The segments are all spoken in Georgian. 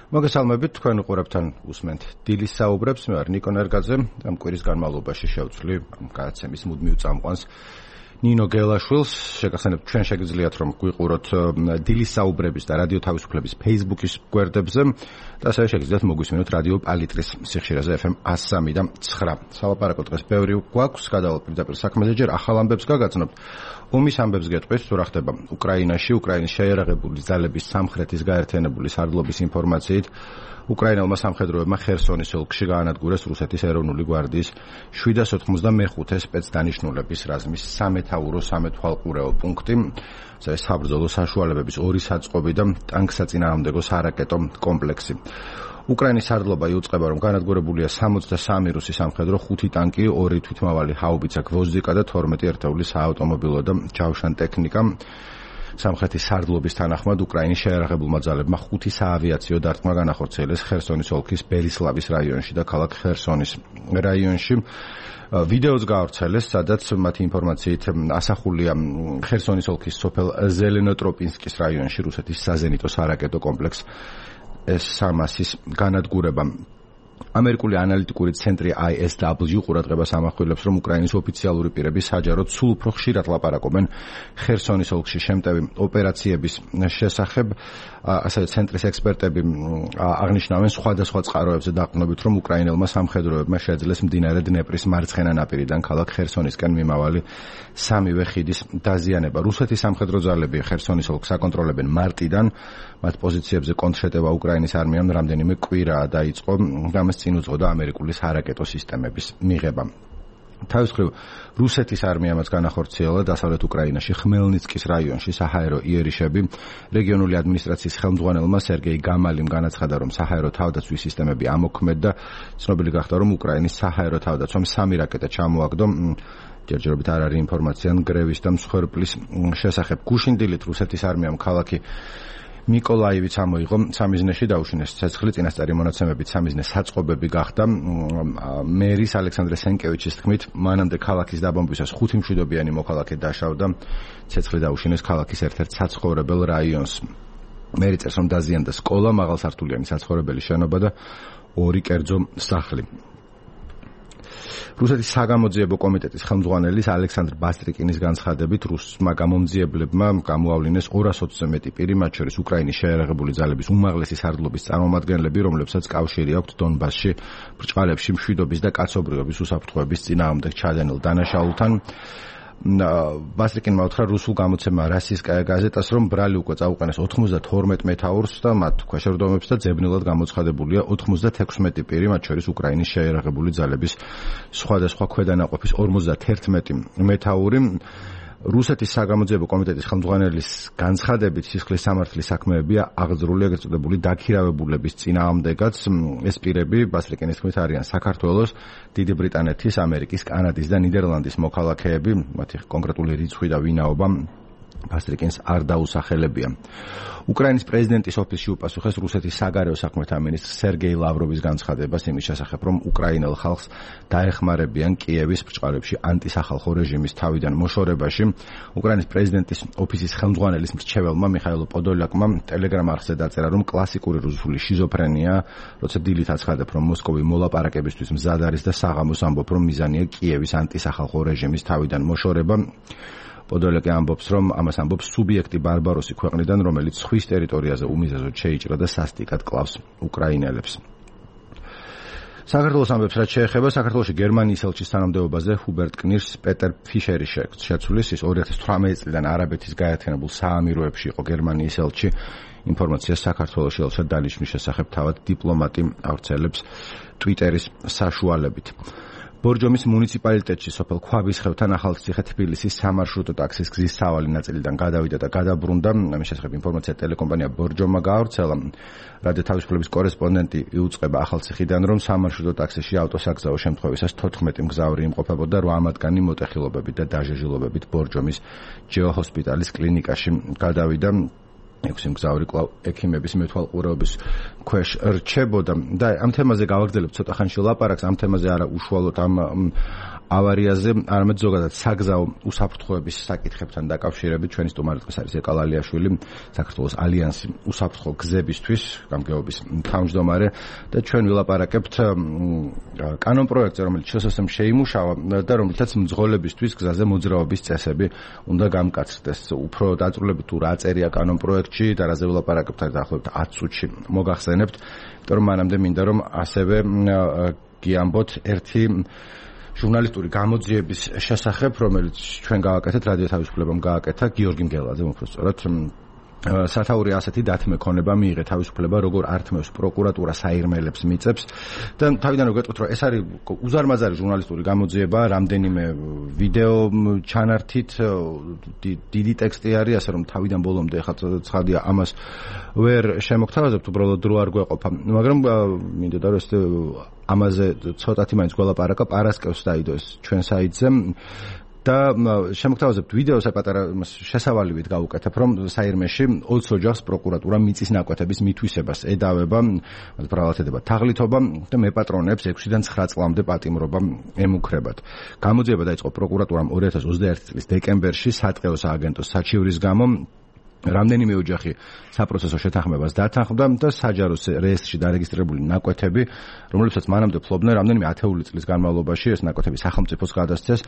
მოგესალმებით, თქვენ უყურებთ უსმენთ დილის საუბრებს. მე ვარ ნიკო ნერგაძე. ამ კვირის განმავლობაში შევცვლი გადაცემის მუდმივ წამყვანს ნინო გელაშვილს. შეგახსენებთ, ჩვენ შეგიძლიათ რომ გვიყუროთ დილის საუბრების და რადიო თავისუფლების Facebook-ის გვერდებზე და ასევე შეგიძლიათ მოგვისმინოთ რადიო პალიტრის სიხშირეზე FM 103 და 9. სალაპარაკო დღეს ბევრი გვაქვს, გადავალ პირდაპირ საქმეზე, ჯერ ახალ ამბებს გაგაცნობთ. ომის ამბებს გეტყვით, თუ რა ხდება უკრაინაში, უკრაინის შეიარაღებული ძალების სამხრეთის გაერთიანებული სარდლობის ინფორმაციით. უკრაინელმა სამხედროებმა ხერსონის ოლქში გაანადგურეს რუსეთის ეროვნული გვარდიის 795 სპეცდანიშნულების რაზმის სამეთაურო სამეთვალყურეო პუნქტი, საბრძოლო საშუალებების 2 საწყობი და ტანკსაწინააღმდეგო სარაკეტო კომპლექსი. უკრაინის სარდლობა იუწყება, რომ განადგურებულია 63 რუსი სამხედრო, 5 ტანკი, 2 თვითმავალი ჰაუბიცა გვოზდიკა და 12 ერთეული საავტომობილო და ჯავშან ტექნიკა. სამხრეთის სარდლობის თანახმად უკრაინის შეიარაღებულმა ძალებმა 5 საავიაციო დარტყმა განახორციელეს ხერსონის ოლქის ბელისლავის რაიონში და ქალაქ ხერსონის რაიონში. ვიდეოც გაავრცელეს, სადაც მათი ინფორმაციით ასახულია ხერსონის ოლქის სოფელ ზელენოტროპინსკის რაიონში რუსეთის საზენიტო სარაკეტო კომპლექს S-300-ის განადგურება. ამერიკული ანალიტიკური ცენტრი ISW ყურადღებას ამახვილებს, რომ უკრაინის ოფიციალური პირები საჯაროდ სულ უფრო ხშირად ლაპარაკობენ ხერსონის ოლქში შემტევი ოპერაციების შესახებ. ასევე ცენტრის ექსპერტები აღნიშნავენ სხვადასხვა წყაროებზე დაყრდნობით, რომ უკრაინელმა სამხედროებმა შეძლეს მდინარე დნეპრის მარცხენა ნაპირიდან ქალაქ ხერსონისკენ მიმავალი სამივე ხიდის დაზიანება. რუსეთის სამხედრო ძალები ხერსონის ოლქს აკონტროლებენ მარტიდან. მათ პოზიციებზე კონტრშეტევა უკრაინის არმიამ რამდენიმე კვირაა დაიწყო, რამაც წინ უძღოდა ამერიკული სარაკეტო სისტემების მიღება. თავის მხრივ, რუსეთის არმიამაც განახორციელა დასავლეთ უკრაინაში ხმელნიცკის რაიონში საჰაერო იერიშები. რეგიონული ადმინისტრაციის ხელმძღვანელმა სერგეი გამალიმ განაცხადა, რომ საჰაერო თავდაცვის სისტემები ამოქმედ და ცნობილი გახდა, რომ უკრაინის საჰაერო თავდაცვამ 3 რაკეტა ჩამოაგდო. ჯერჯერობით არ არის ინფორმაცია ნგრევის და მსხვერპლის შესახებ. გუშინ დილით რუსეთის არმიამ ქალაქი მიკოლაივიც ამოიღო, სამიზნეში დაუშინეს ცეცხლი, წინასწარი მონაცემებით სამიზნე საწყობები გახდა. მერის ალექსანდრე სენკევიჩის თქმით, მანამდე ქალაქის დაბომბვისას 5 მშვიდობიანი მოქალაქე დაშავდა, ცეცხლი დაუშინეს ქალაქის ერთ-ერთ საცხოვრებელ რაიონს. მერი წერს, რომ დაზიანდა სკოლა, მაღალსართულიანი საცხოვრებელი შენობა და 2 კერძო სახლი. რუსეთის საგამოძიებო კომიტეტის ხელმძღვანელის ალექსანდრ ბასტრიკინის განცხადებით, რუსმა გამომძიებლებმა გამოავლინეს 220-ზე მეტი პირი, მათ შორის უკრაინის შეიარაღებული ძალების უმაღლესი სარდლობის წარმომადგენლები, რომლებსაც კავშირი აქვთ დონბასში ბრჭყალებში მშვიდობის და კაცობრიობის უსაფრთხოების წინააღმდეგ ჩადენილ დანაშაულთან. ბასტრიკინმა უთხრა რუსულ გამოცემა რასისტკაია გაზეტას, რომ ბრალი უკვე წაუყენეს 92 მეთაურს და მათ ქვეშევრდომებს და ძებნელად გამოცხადებულია 96 პირი, მათ შორის უკრაინის შეიარაღებული ძალების სხვადასხვა ქვედანაყოფის 51 მეთაური. რუსეთის საგამოძიებო კომიტეტის ხელმძღვანელის განცხადებით, სისხლის სამართლის საქმეებია აღძრული ეგრეთ წოდებული დაქირავებულების წინააღმდეგაც. ეს პირები, ბასტრიკინის თქმით, არიან საქართველოს, დიდი ბრიტანეთის, ამერიკის, კანადის და ნიდერლანდის მოქალაქეები. მათი კონკრეტული რიცხვი და ვინაობა ბასტრიკინს არ დაუსახელებია. უკრაინის პრეზიდენტის ოფისში უპასუხეს რუსეთის საგარეო საქმეთა მინისტრ სერგეი ლავროვის განცხადებას იმის შესახებ, რომ უკრაინელ ხალხს დაეხმარებიან კიევის ბრჭყალებში ანტისახალხო რეჟიმის თავიდან მოშორებაში. უკრაინის პრეზიდენტის ოფისის ხელმძღვანელის მრჩეველმა მიხაილ პოდოლაკმა ტელეგრამ არხზე დაწერა, რომ კლასიკური რუსული შიზოფრენია, როცა დილით აცხადებ, რომ მოსკოვი მოლაპარაკებისთვის მზად არის და საღამოს ამბობ, რომ მიზანია კიევის ანტისახალხო რეჟიმის თავიდან მოშორება. პოდოლაკი ამბობს, რომ ამას ამბობს სუბიექტი ბარბაროსი ქვეყნიდან, რომელიც ზღვის ტერიტორიაზე უმიზეზოდ შეიჭრა და სასტიკად კლავს უკრაინელებს. საქართველოს ამბებს რაც შეეხება, საქართველოში გერმანიის ელჩის თანამდებობაზე ჰუბერტ კნირს პეტერ ფიშერი შეცვლის. ის 2018 წლიდან არაბეთის გაერთიანებულ საამიროებში იყო გერმანიის ელჩი. ინფორმაციას საქართველოში ელჩად დანიშნვის შესახებ თავად დიპლომატი ავრცელებს ტვიტერის საშუალებით. ბორჯომის მუნიციპალიტეტში სოფელ ქვაბისხევთან ახალციხე თბილისის სამარშრუტო ტაქსის გზის სავალი ნაწილიდან გადავიდა და გადაბრუნდა. ამის შესახებ ინფორმაცია ტელეკომპანია ბორჯომა გაავრცელა. რადიო თავისუფლების კორესპონდენტი იუწყება ახალციხიდან, რომ სამარშრუტო ტაქსიში ავტოსაგზაო შემთხვევისას 14 მგზავრი იმყოფებოდა, 8 მათგანი მოტეხილობებით და დაჟეჟილობებით ბორჯომის ჯეო ჰოსპიტალის კლინიკაში გადავიდა. 6 მგზავრი კვლავ ექიმების მეთვალყურეობის ქვეშ რჩებოდა და ამ თემაზე გავაგრძელებ ცოტა ხანში ლაპარაკს. ამ თემაზე არა უშუალოდ ამ ავარიაზე, არამედ ზოგადად საგზაო უსაფრთხოების საკითხებთან დაკავშირებით ჩვენი სტუმარი არის ეკალალიაშვილი, საქართველოს ალიანსი უსაფრთხო გზებისთვის გამგეობის თავმჯდომარე და ჩვენ ვილაპარაკებთ კანონპროექტზე, რომელიც შესაძლოა შეიმუშავა და რომელთაც მძღოლებისთვის გზაზე მოძრაობის წესები უნდა გამკაცრდეს. უფრო დაწვრილებით თუ რა წერია კანონპროექტში და რაზე ვილაპარაკებთ დაახლოებით 10 წუთში მოგახსენებთ, იმიტომ რომ მანამდე მინდა რომ ასევე გიამბოთ ერთი ჟურნალისტური გამოძიების შესახებ, რომელიც ჩვენ გავაკეთეთ, რადიო თავისუფლებამ გააკეთა გიორგი მგელაძემ, უფრო სწორად სათაური ასეთი დათმექონება მიიღე თავისუფლება, როგორ ართმევს პროკურატურა საირმელებს მიწებს და თავიდან რომ გეტყვით, რომ ეს არის უზარმაზარი ჟურნალისტური გამოძიება, რამდენიმე ვიდეო ჩანართით, დიდი ტექსტი არის, ასე რომ თავიდან ბოლომდე ახლა ცხადია ამას ვერ შემოგთავაზებთ, უბრალოდ დრო არ გვეყოფა, მაგრამ მინდოდა რომ ეს ამაზე ცოტათი მაინც გველაპარაკა, პარასკევს დაიდო ეს ჩვენ საიტზე და შემოგთავაზებთ ვიდეოს პატარა შესავალივით გავუკეთებ, რომ საირმეში 20 ოჯახს პროკურატურა მიწის ნაკვეთების მითვისებას ედავება, ბრალად ედება თაღლითობა და მეპატრონებს 6-დან 9 წლამდე პატიმრობა ემუქრებათ. გამოძიება დაიწყო პროკურატურამ 2021 წლის დეკემბერში სატყეო სააგენტოს საჩივრის გამო. რამდენიმე ოჯახი საპროცესო შეთანხმებას დათანხმდა და საჯარო რეესტრში დარეგისტრირებული ნაკვეთები, რომლებსაც მანამდე ფლობდნენ რამდენიმე ათეული წლის განმავლობაში, ეს ნაკვეთები სახელმწიფოს გადასცეს.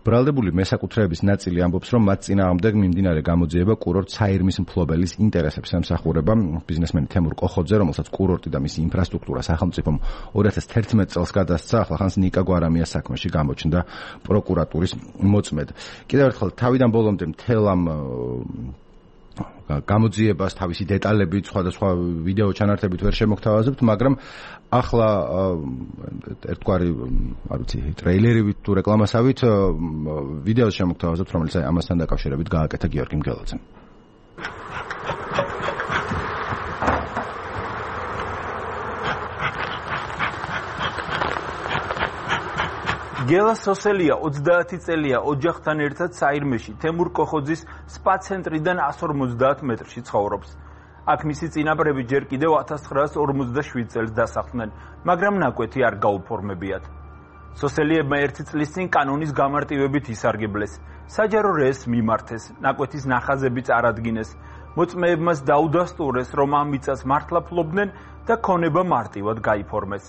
ბრალდებული მესაკუთრეების ნაწილი ამბობს, რომ მათ წინააღმდეგ მიმდინარე გამოძიება კურორტ საირმის მფლობელის ინტერესებს ემსახურება. ბიზნესმენი თემურ კოხოძე, რომელსაც კურორტი და მისი ინფრასტრუქტურა სახელმწიფომ 2011 წელს გადასცა, ახლა ხანს ნიკა გვარამიას საქმეში გამოჩნდა პროკურატურის მოწმედ. კიდევ ერთხელ თავიდან ბოლომდე მთელ ამ გამოძიებას თავისი დეტალებით, სხვადასხვა ვიდეო ჩანართებით ვერ შემოგთავაზებთ, მაგრამ ახლა ერთგვარი, არ ვიცი, ტრეილერივით თუ რეკლამასავით ვიდეოს შემოგთავაზებთ, რომელიც ამასთან დაკავშირებით გააკეთა გიორგი მგელაძემ. გელა სოსელია 30 წელია ოჯახთან ერთად საირმეში თემურ კოხოძის სპა ცენტრიდან 150 მეტრში ცხოვრობს. აქ მისი წინაპრები ჯერ კიდევ 1947 წელს დასახლდნენ, მაგრამ ნაკვეთი არ გაუფორმებიათ. სოსელიებმა 1 წლის წინ კანონის გამარტივებით ისარგებლეს. საჯარო რეესტრს მიმართეს, ნაკვეთის ნახაზებიც არადგინეს. მოწმეებმაც დაუდასტურეს, რომ ამ მიწას მართლა ფლობდნენ და ქონება მარტივად გაიფორმეს.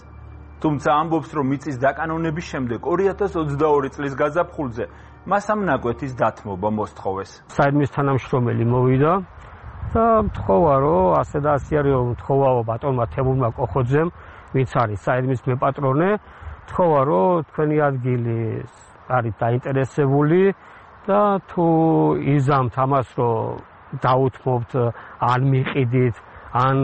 თუმცა ამბობს, რომ მიწის დაკანონების შემდეგ 2022 წლის გაზაფხულზე მას ამ ნაკვეთის დათმობა მოსთხოვეს. საირმის თანამშრომელი მოვიდა და მთხოვა, რომ ასე და ასე არის, მთხოვაო ბატონმა თემურმა კოხოძემ, ვინც არის საირმის მეპატრონე, მთხოვა, რომ თქვენი ადგილი არის დაინტერესებული და თუ იზამთ ამას, რომ დაუთმობთ, ან მიყიდით, ან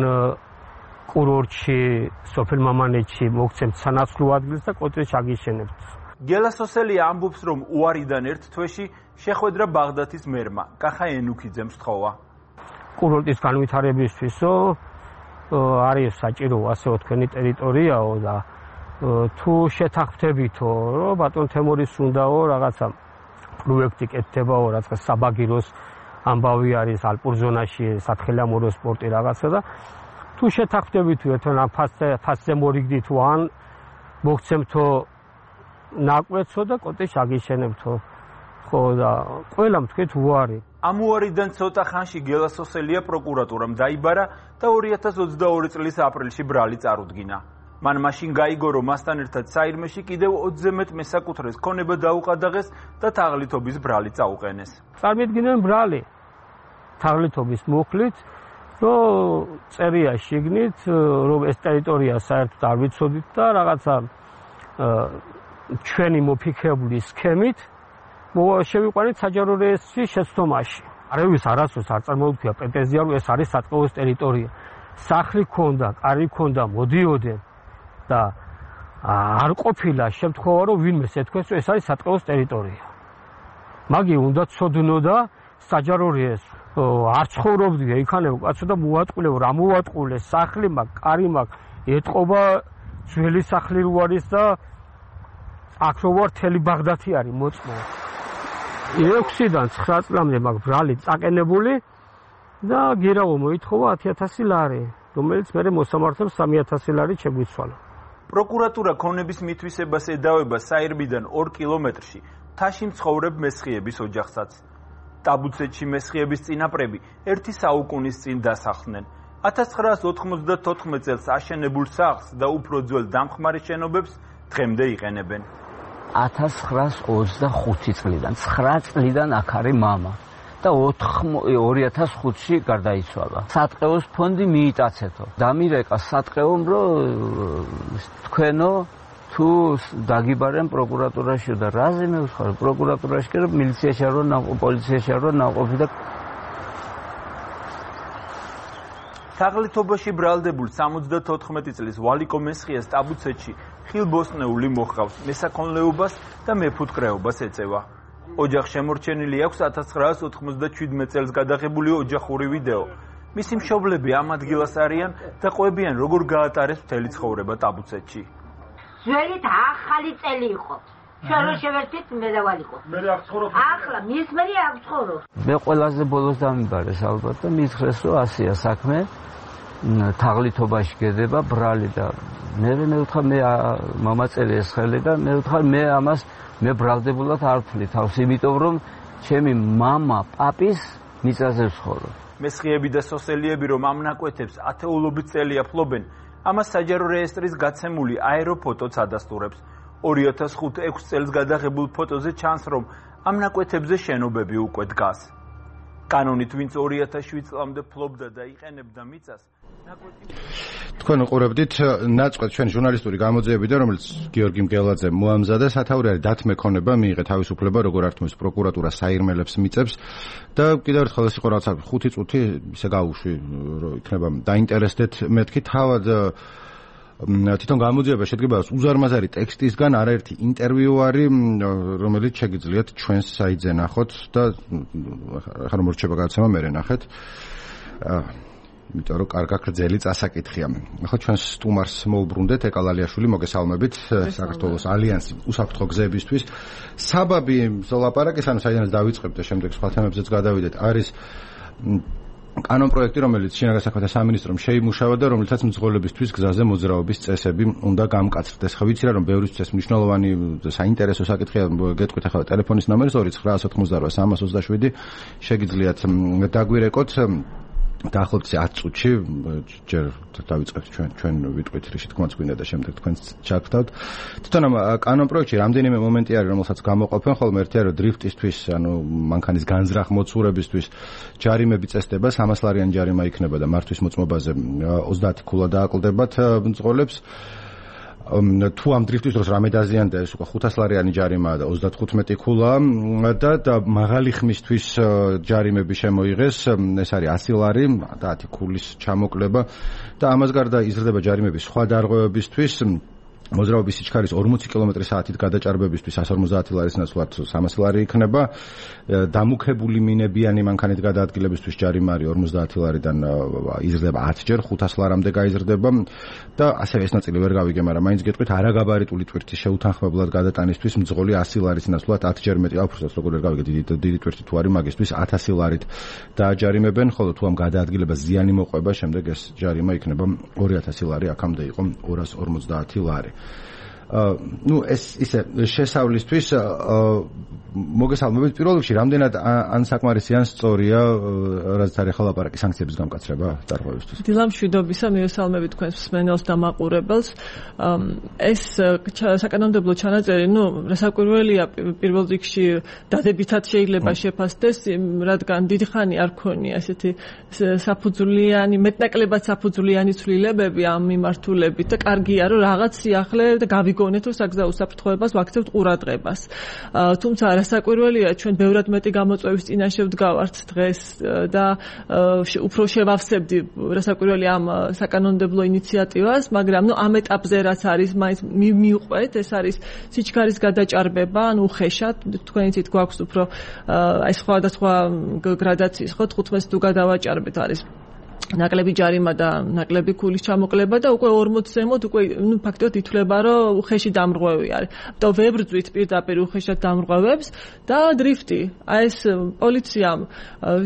კურორტში, სოფელ მამანეთში მოგცემთ სანაცვლო ადგილს და კოტრეს აგიშენებთ. გელა სოსელია ამბობს, რომ უარიდან ერთ თვეში შეხვედრა ბაღდათის მერმა, კახა ენუქიძემ სთხოვა. კურორტის განვითარებისთვისო არის საჭირო ასეო თქვენი ტერიტორიაო და თუ შეთანხმდებითო, რომ ბატონ თემურის უნდაო რაღაცა პროექტი კეთდებაო, რაღაც საბაგიროს ამბავი არის ალპურ ზონაში, სათხილამურო სპორტი რაღაცა და თუ შეთანხმდებითო ერთთან ამ ფასზე მორიგდით თუ ან მოგცემთო ნაკვეთსო და კოტეშ აგიშენებთო. ხო და ყველამ თქვით უარი. ამ უარიდან ცოტა ხანში გელა სოსელია პროკურატურამ დაიბარა და 2022 წლის აპრილში ბრალი წარუდგინა. მან მაშინ გაიგო, რომ მასთან ერთად საირმეში კიდევ 20-ზე მეტ მესაკუთრეს ქონება დაუყადაღეს და თაღლითობის ბრალი წაუყენეს. წარმოიდგინეთ ბრალი თაღლითობის მუხლით, რომ წერია შიგნით, რომ ეს ტერიტორია საერთოდ არ ვიცოდით და რაღაცა ჩვენი მოფიქრებული სქემით შევიყვანეთ საჯარო რეესტრის შეცდომაში. არავის არასდროს არ წარმოუდგია პრეტენზია, რომ ეს არის სატყეოს ტერიტორია. სახლი ქონდა, კარი ქონდა, მოდიოდნენ და არ ყოფილა შემთხვევა, რომ ვინმეს ეთქვეს, რომ ეს არის სატყეოს ტერიტორია. მაგი უნდა ცოდნოდა საჯარო რეესტრი. არ ცხოვრობდია იქანებო კაცო და მოატყულეო, რა მოატყულეს, სახლი მაქვს, კარი მაქვს, ეტყობა ძველი სახლი რო არის და აქ რო ვარ თელი ბაღდათი არის მოწმო. 6-დან 9 წლამდე მაქვს ბრალი წაყენებული და გირავო მოითხოვა 10,000 ლარი, რომელიც მე მოსამართლემ 3,000 ლარი შეგვიცვალა. პროკურატურა ქონების მითვისებას ედავება საირმიდან 2 კილომეტრში მთაში მცხოვრებ მესხიების ოჯახსაც. ტაბუცეთში მესხიების წინაპრები 1 საუკუნის წინ დასახლდნენ. 1994 წელს აშენებულ სახლს და უფრო ძველ დამხმარე შენობებს დღემდე იყენებენ. 1925 წლიდან 9 წლიდან აქ არის მამა და 2005-ში გარდაიცვალა. სატყეოს ფონდი მიიტაცეთო. დამირეკა სატყეომ, რომ თქვენო თუ დაგიბარენ პროკურატურაში და რაზე მე ვხარ პროკურატურაში კი რომ მილიციაში არ ვარ, პოლიციაში არ ვარ, ნაყოფი და თაღლითობაში ბრალდებულ 74 წლის ვალიკო მესხიას ტაბუცეთში ხილბოსტნეული მოჰყავს, მესაქონლეობას და მეფუტკრეობას ეწევა. ოჯახს შემორჩენილი აქვს 1997 წელს გადაღებული ოჯახური ვიდეო. მისი მშობლები ამ ადგილას არიან და ყვებიან, როგორ გაატარეს მთელი ცხოვრება ტაბუცეთში. ძველით ახალი წელი იყო. შენ რო შევერთით მე და ვალიკო. მე აქ ცხოვრობ. ახლა მის მე აქ ცხოვრობ. მე ყველაზე ბოლოს დამიბარეს ალბათ და მითხრეს, რომ ასია საქმე. თაღლითობაში გედება ბრალი და მე ვთქვა მე მამაწელი ესხელი და მე ვთქვა მე ამას მე ბრალდებულად არ ვთვლი თავს, იმიტომ რომ ჩემი მამა პაპის მიწაზე ვცხოვრობ. მესხიები და სოსელიები რომ ამ ნაკვეთებს ათეულობით წელია ფლობენ, ამას საჯარო რეესტრის გაცემული აეროფოტოც ადასტურებს. 2005-6 წელს გადაღებულ ფოტოზე ჩანს, რომ ამ ნაკვეთებზე შენობები უკვე დგას. კანონით ვინც 2007 წლამდე ფლობდა და იყენებდა მიწას, თქვენ უყურებდით ნაწყვეტ ჩვენ ჟურნალისტური გამოძიებიდან, რომელიც გიორგი მგელაძე მოამზადა. სათაური არის დათმექონება, მიიღე თავისუფლება, როგორ ართმევს პროკურატურა საირმელებს მიწებს და კიდევ ერთხელ ეს იყო რაღაცა 5 წუთი ისე გავუშვი, რომ იქნება დაინტერესდეთ მეთქი. თავად თვითონ გამოძიება შედგება უზარმაზარი ტექსტისგან, არაერთი ინტერვიუ არის, რომელიც შეგიძლიათ ჩვენს საიტზე ნახოთ და ახლა რომ რჩება გადაცემა მე ნახეთ. იმიტომ რომ კარგა გრძელი წასაკითხია. ახლა ჩვენ სტუმარს მოვუბრუნდეთ, ეკალალიაშვილი, მოგესალმებით საქართველოს ალიანსი უსაფრთხო გზებისთვის. საბაბი ლაპარაკის, ანუ საიდანაც დავიწყებთ და შემდეგ სხვა თემებზეც გადავიდეთ, არის კანონ პროექტი, რომელიც შინაგან საქმეთა სამინისტრომ შეიმუშავა და რომელიცაც მძღოლებისთვის გზაზე მოძრაობის წესები უნდა გამკაცრდეს. ხო ვიცი რა, რომ ბევრისთვის ეს მნიშვნელოვანი საინტერესო საკითხია. გეტყვით ახლა ტელეფონის ნომერი 0998 327 შეგიძლიათ დაგვირეკოთ. დაახლოებით 10 წუთში ჯერ დავიწყებთ ჩვენ ვიტყვით რიში თქმაც გვინდა და შემდეგ თქვენს ჩაგთავთ. თვითონ ამ კანონ პროექტში რამდენიმე მომენტი არის, რომელსაც გამოყოფენ ხოლმე. ერთი არის, რომ დრიფტისთვის, ანუ მანქანის განზრახ მოცურებისთვის ჯარიმები წესდება, 300 ლარიანი ჯარიმა იქნება და მართვის მოწმობაზე 30 ქულა დააკლდებათ მძღოლებს. თუ ამ დრიფტის დროს რამე დაზიანდა, ეს უკვე 500 ლარიანი ჯარიმაა და 35 ქულა და მაღალი ხმისთვის ჯარიმები შემოიღეს, ეს არის 100 ლარი და 10 ქულის ჩამოკლება და ამას გარდა იზრდება ჯარიმები სხვა დარღვევებისთვის. მოძრაობის სიჩქარის 40 კმ/სთ გადაჭარბებისთვის 150 ლარის ნაცვლად 300 ლარი იქნება. დამუქებული მინებიანი მანქანით გადაადგილებისთვის ჯარიმა არის 50 ლარიდან იზრდება 10 ჯერ 500 ლარამდე გაიზრდება და ასევე ეს ნაწილი ვერ გავიგე, მაგრამ მაინც გეტყვით, არაგაბარიტული ტვირთის შეუთანხმებლად გადატანისთვის მძღოლი 100 ლარის ნაცვლად 10 ჯერ მეტი, უბრალოდ როგორ ვერ გავიგე, დიდი ტვირთი თუ არის მაგისთვის 1000 ლარით დააჯარიმებენ, ხოლო თუ ამ გადაადგილებას ზიანი მოყვება, შემდეგ ეს ჯარიმა იქნება 2000 ლარი, აქამდე იყო 250 ლარი. ну ეს ისე შესავლისთვის მოგესალმებით. პირველ რიგში რამდენად ან საკმარისი ან სწორია, რაც არის ახლა ლაპარაკი სანქციების გამკაცრება დარღვევისთვის? დილამშვიდობისა, მიესალმებით თქვენს მსმენელს და მაყურებელს. ეს საკანონმდებლო ჩანაწერი, რასაკვირველია, პირველ რიგში დადებითად შეიძლება შეფასდეს, რადგან დიდი ხანი არ ქონია ესეთი საფუძვლიანი, მეტნაკლებად საფუძვლიანი ცვლილებები ამ მიმართულებით და კარგია, რომ რაღაც სიახლე და გავიგონეთ, რომ საგზაო უსაფრთხოებას ვაქცევთ ყურადღებას. თუმცა რასაკვირველია, ჩვენ ბევრად მეტი გამოწვევის წინაშე ვდგავართ დღეს და უფრო შევავსებდი რასაკვირველია ამ საკანონმდებლო ინიციატივას, მაგრამ ამ ეტაპზე რაც არის, მაინც მივყვეთ, ეს არის სიჩქარის გადაჭარბება, ანუ უხეშად, თქვენი თვით გვაქვს უფრო აი სხვადასხვა გრადაციის, ხო, 15 თუ გადავაჭარბეთ არის ნაკლები ჯარიმა და ნაკლები ქულის ჩამოკლება და უკვე 40 ზემოთ უკვე ფაქტობრივად ითვლება, რომ უხეში დამრღვევი არის. და ვერ ბრძვით პირდაპირ უხეშად დამრღვევებს და დრიფტი. აი ეს პოლიციამ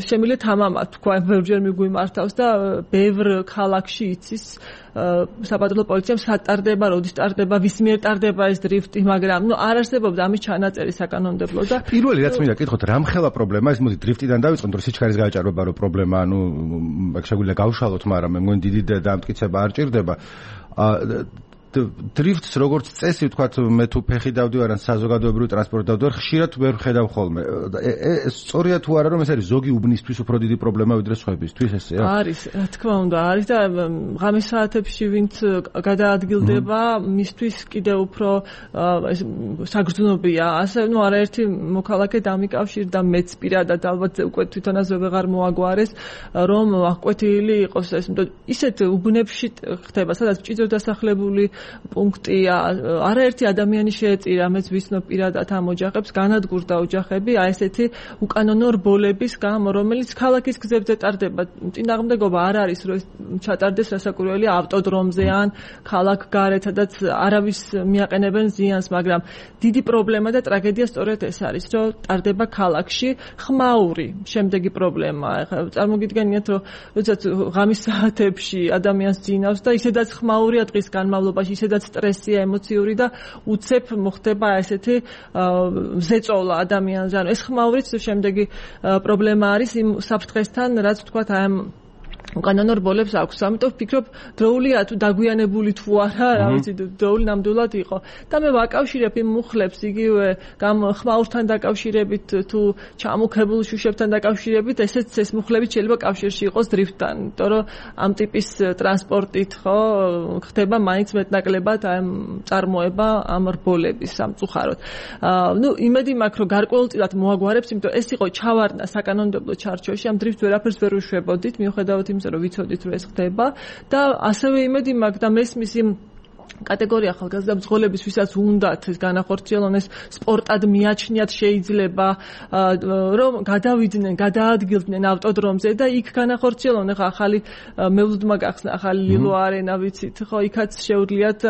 შემიძლია თამამად თქვა, ბევრჯერ მიგვიმართავს და ბევრ ქალაქში იცის საპატრულო პოლიციამ სატარდება, როდის ტარდება, ვის მიერ ტარდება ეს დრიფტი, მაგრამ არ არსებობდა ამის ჩანაწერი საკანონმდებლო და პირველი რაც მინდა გითხოთ, რამხელა პრობლემაა ეს, მოდი დრიფტიდან დავიწყოთ, რომ სიჩქარის გააჭარბება რო პრობლემა, შეგვიძლია გავშალოთ, მაგრამ მე მგონი დიდი დამტკიცება არ ჭირდება. დრიფტს როგორც წესი ვთქვათ, მე თუ ფეხი დავდივარ ან საზოგადოებრივ ტრანსპორტით დავდივარ, ხშირად ვერ ხედავ ხოლმე. სწორია თუ არა, რომ ეს არის ზოგი უბნისთვის უფრო დიდი პრობლემა ვიდრე სხვებისთვის, ესეა? არის, რა თქმა უნდა, არის და ღამის საათებში ვინც გადაადგილდება, მისთვის კიდევ უფრო ეს საგრძნობია. ასე არაერთი მოქალაქე დამიკავშირდა მეც პირადად, ალბათ უკვე თვითონაც ვეღარ მოაგვარეს, რომ აღკვეთილი იყოს ეს, ისეთ უბნებში ხდება, სადაც მჭიდრო დასახლებული პუნქტია, არაერთი ადამიანი შეეწირა, მეც ვიცნობ პირადად ამ ოჯახებს, განადგურდა ოჯახები, აი ესეთი უკანონო რბოლების გამო, რომელიც ქალაქის გზებზე ტარდება. წინააღმდეგობა არ არის, რომ ჩატარდეს რასაკვირველია ავტოდრომზე ან ქალაქ გარეთ, სადაც არავის მიაყენებენ ზიანს, მაგრამ დიდი პრობლემა და ტრაგედია სწორედ ეს არის, რომ ტარდება ქალაქში ხმაური. შემდეგი პრობლემა, წარმოგიდგენიათ, რომ როდესაც ღამის საათებში ადამიანს ძინავს და ისედაც ხმაურია დღის განმავლობაში, ისედაც სტრესია ემოციური და უცებ მოხდება ესეთი ზეწოლა ადამიანზე. ანუ ეს ხმაურიც შემდეგი პრობლემა არის იმ საფრთხესთან, რაც თქვათ აი ამ უკანონო რბოლებს აქვს. ამიტომ ვფიქრობ, დროულია თუ დაგვიანებული თუ არა, რა ვიცი, დროული ნამდვილად იყო. და მე ვაკავშირებ იმ მუხლებს იგივე ხმაურთან დაკავშირებით თუ ჩამოქებულ შუშებთან დაკავშირებით, ესეც ეს მუხლები შეიძლება კავშირში იყოს დრიფტთან, იმიტომ რომ ამ ტიპის ტრანსპორტით ხო ხდება მაინც მეტნაკლებად ამ წარმოება ამ რბოლების სამწუხაროდ. იმედი მაქვს, რომ გარკვეულწილად მოაგვარებს, იმიტომ ეს იყო ჩავარდნა საკანონმდებლო ჩარჩოში, ამ დრიფტს ვერაფერს ვერ უშვებოდით, მიუხედავად რომ ვიცოდით რომ ეს ხდება და ასევე იმედი მაქვს და მესმის იმ კატეგორია ახალგაზრდა მძღოლების, ვისაც უნდათ ეს განახორციელონ, ეს სპორტად მიაჩნიათ შეიძლება, რომ გადავიდნენ, გადაადგილდნენ ავტოდრომზე და იქ განახორციელონ. ახლა ახალი მელუდმა გახსნა, ახალი ლილო არენა, ვიცით, ხო, იქაც შეუძლიათ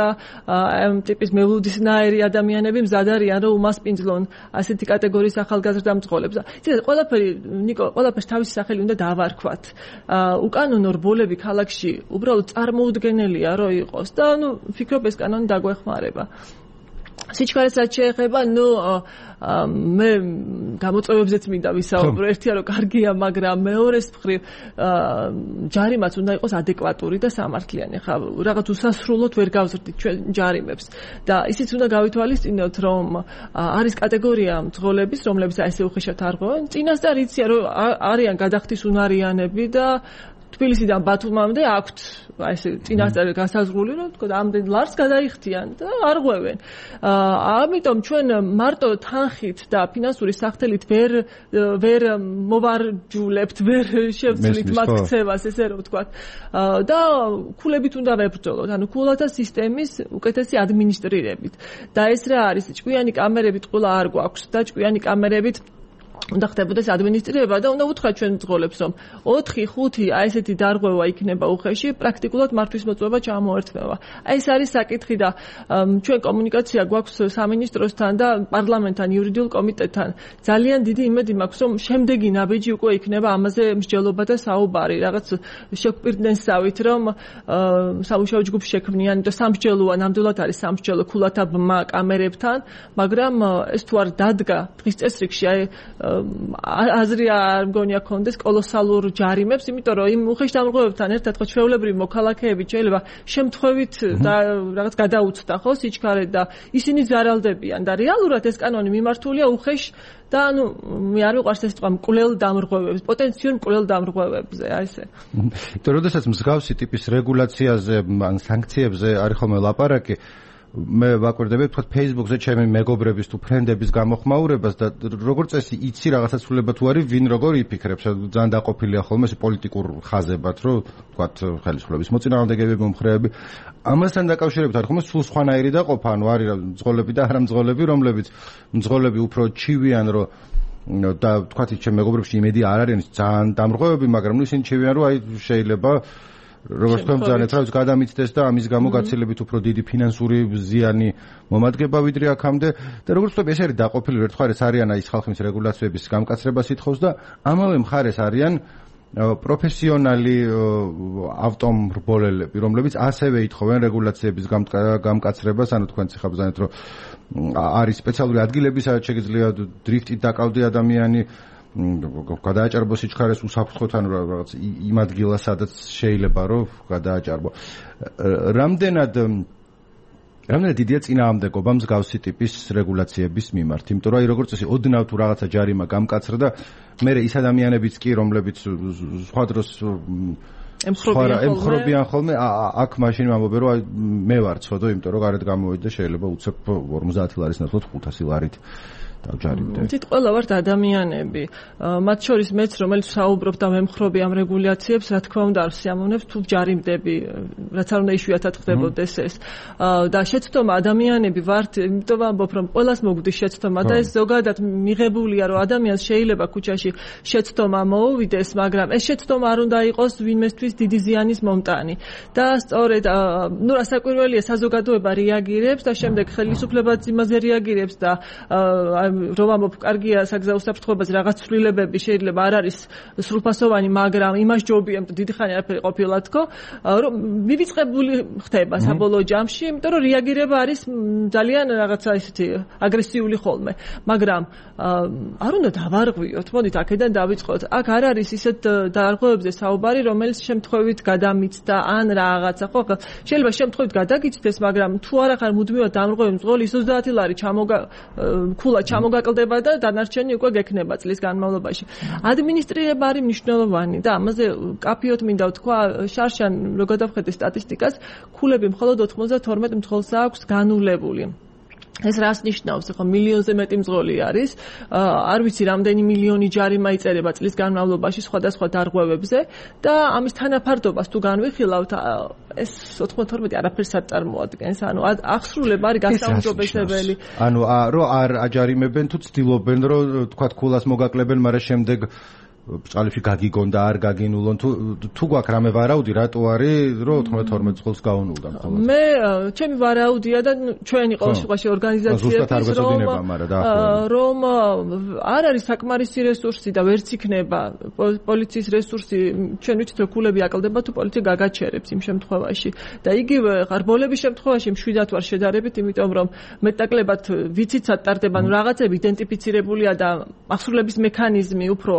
ამ ტიპის მელუდისნაირი ადამიანები მზად არიან, რომ უმასპინძლონ ასეთი კატეგორიის ახალგაზრდა მძღოლებს. იცით, ყველაფერს თავისი სახელი უნდა დავარქვათ. უკანონო რბოლები ქალაქში უბრალოდ წარმოუდგენელია, რომ იყოს და ვფიქრობ ეს კანონი დაგვეხმარება. სიჩქარესაც შეეხება, მე გამოწვევებზეც მინდა ვისაუბრო. ერთია რომ კარგია, მაგრამ მეორეს მხრივ ჯარიმაც უნდა იყოს ადეკვატური და სამართლიანი. ხა რაღაც უსასრულოდ ვერ გავზრდით ჩვენ ჯარიმებს და ისიც უნდა გავითვალისწინოთ, რომ არის კატეგორია მძღოლების, რომლებიც ესე უხეშად არ ღვევენ. წინასწარ იციან, რომ არიან გადახდის უნარიანები და თბილისიდან ბათუმამდე აქვთ ესე წინასწარ გასაზღვრული, რომ თქო ამდენ ლარს გადაიხდიან და არ ღვევენ. ამიტომ ჩვენ მარტო თანხით და ფინანსური სახთელით ვერ მოვარჯულებთ, ვერ შევცვლით მათ ქცევას, ესე რომ ვთქვათ. და ქულებით უნდა ვებრძოლოთ, ანუ ქულათა სისტემის უკეთესი ადმინისტრირებით. და ეს რა არის, ჭკვიანი კამერებით ყוლა არ გვაქვს და ჭკვიანი კამერებით უნდა ხდებოდეს ადმინისტრირება და უნდა ვუთხრათ ჩვენ მძღოლებს, რომ 4-5 აი ესეთი დარღვევა იქნება უხეში, პრაქტიკულად მართვის მოწვევა ჩამოერთვება. აი ეს არის საკითხი და ჩვენ კომუნიკაცია გვაქვს სამინისტროსთან და პარლამენტთან, იურიდიულ კომიტეტთან. ძალიან დიდი იმედი მაქვს, რომ შემდეგი ნაბიჯი უკვე იქნება ამაზე მსჯელობა და საუბარი. რაღაც შეგვპირდნენ სავით, რომ სამუშაო ჯგუფს შექმნიან და სამსჯელოა, ნამდვილად არის სამსჯელო ქულათა ბმა კამერებთან, მაგრამ ეს თუ არ დადგა დღის წესრიგში, აი აზრი არ მგონია კონდეს კოლოსალურ ჯარიმებს, იმიტომ რომ იმ უხეშ დამრღვევებთან ერთად ხო ჩვეულებრივი მოქალაქეები შეიძლება შემთხვევით და რაღაც გადაუცდა ხო სიჩქარე და ისინი ზარალდებიან და რეალურად ეს კანონი მიმართულია უხეშ და მე არ მიყვარს ეს სიტყვა მკვლელ დამრღვევებს, პოტენციურ მკვლელ დამრღვევებზე, აი ესე. იმიტომ როდესაც მსგავსი ტიპის რეგულაციაზე ან სანქციებზე არის ხოლმე ლაპარაკი, მე ვაკვირდები თქვა Facebook-ზე ჩემი მეგობრების თუ ფრენდების გამოხმაურებას და როგორც წესი იცი რაღაცა ცვლილება თუ არის ვინ როგორ იფიქრებს, ძალიან დაყოფილია ხოლმე ეს პოლიტიკურ ხაზებად, რომ თქვა ხელისუფლების მოწინააღმდეგეები, მომხრეები. ამასთან დაკავშირებით არის ხოლმე სულ სხვანაირი დაყოფა, ანუ არის მძღოლები და არა მძღოლები, რომლებიც მძღოლები უფრო ჩივიან, რომ და თქვა ჩემი მეგობრებში იმედი არ არის ძალიან დამრღვევები, მაგრამ ისინი ჩივიან, რომ აი შეიძლება როგორც თქვენ ძალიან თავს გადამიცდეს და ამის გამო გაცილებით უფრო დიდი ფინანსური ზიანი მომადგება ვიდრე აქამდე და როგორც ვთქვი ეს არის დაყოფილი ერთ მხარეს არიან აი ხალხის რეგულაციების გამკაცრებას ითხოვს და ამავე მხარეს არიან პროფესიონალი ავტომრბოლელები, რომლებიც ასევე ითხოვენ რეგულაციების გამკაცრებას, ანუ თქვენ ციხა ბრძანეთ, რომ არის სპეციალური ადგილები, სადაც შეგიძლია დრიფტით დაკავდე ადამიანი, გადააჭარბო სიჩქარეს უსაფრთხოდ, ანუ რაღაც იმ ადგილას, სადაც შეიძლება რომ გადააჭარბო. რამდენად დიდია წინააღმდეგობა მსგავსი ტიპის რეგულაციების მიმართ, იმიტომ რომ როგორც წესი ოდნავ თუ რაღაცა ჯარიმა გამკაცრდა და მე ის ადამიანებიც კი, რომლებიც სხვა დროს ემხრობიან ხოლმე, აქ მაშინ ვამბობენ, რომ მე ვარ ცოდო, იმიტომ რომ გარეთ გამოვედი და შეიძლება უცებ 50 ლარის ნაცვლად 500 ლარით დავჯარიმდე. თით ყველა ვართ ადამიანები. მათ შორის მეც, რომელიც საუბრობ და მემხრობი ამ რეგულაციებს, რა თქმა უნდა არ ვსიამოვნებ თუ ჯარიმდები, რაც არ უნდა იშვიათად ხდებოდეს ეს. და შეცდომა ადამიანები ვართ, იმიტომ ვამბობ, რომ ყველას მოგვდის შეცდომა და ეს ზოგადად მიღებულია, რომ ადამიანს შეიძლება ქუჩაში შეცდომა მოუვიდეს, მაგრამ ეს შეცდომა არ უნდა იყოს ვინმესთვის დიდი ზიანის მომტანი. და სწორედ, რასაკვირველია, საზოგადოება რეაგირებს და შემდეგ ხელისუფლებაც იმაზე რეაგირებს და რომ ამბობ, კარგია საგზაო საფრთხეებაზე რაღაც ცვლილებები შეიძლება არ არის სრულფასოვანი, მაგრამ იმას ჯობია, დიდი ხანი არაფერი ყოფილა თქო, რომ მივიწყებული ხდება საბოლოო ჯამში, იმიტომ რომ რეაგირება არის ძალიან რაღაცა ისეთი აგრესიული ხოლმე. მაგრამ არ უნდა დავარღვიოთ, მოდით აქედან დავიწყოთ. აქ არ არის ისეთ დარღვევებზე საუბარი, რომელიც შემთხვევით გადამიცდა ან რაღაცა, ხო? შეიძლება შემთხვევით გადაგიცდეს, მაგრამ თუ არ ახარ მუდმივად დამრღვევი მძღოლი 30 ლარი ქულა ჩამოგაკლდება და დანარჩენი უკვე გექნება წლის განმავლობაში. ადმინისტრირება არის მნიშვნელოვანი და ამაზე კაფიოთ მინდა ვთქვა, შარშან რო გადავხედე სტატისტიკას, ქულები მხოლოდ 92 მძღოლს აქვს განულებული. ეს რას ნიშნავს? ხო, მილიონზე მეტი მძღოლი არის. არ ვიცი რამდენი მილიონი ჯარიმა იწერება წლის განმავლობაში სხვადასხვა დარღვევებზე და ამის თანაფარდობას თუ განვიხილავთ, ეს 92 არაფერს არ წარმოადგენს. ანუ აღსრულება არის გასაუმჯობესებელი. ანუ რომ არ აჯარიმებენ თუ ცდილობენ რომ თქვა ქულას მოგაკლებენ, მაგრამ შემდეგ ბჭყალებში გაგიგონ და არ გაგინულონ, თუ გვაქვს რამე ვარაუდი, რატო არის რომ 92 წყვილს გაუნულდა მხოლოდ? მე ჩემი ვარაუდია და ჩვენი ყოველ შემთხვევაში ორგანიზაციების რომ არ არის საკმარისი რესურსი და ვერც იქნება პოლიციის რესურსი, ჩვენ ვიცით რომ ქულები აკლდება თუ პოლიცია გაგაჩერებს იმ შემთხვევაში და იგივე ღარბოლების შემთხვევაში მშვიდად ვარ შედარებით, იმიტომ რომ მეტნაკლებად ვიცით ტარდება, ნუ რაღაცები იდენტიფიცირებულია და აღსრულების მექანიზმი უფრო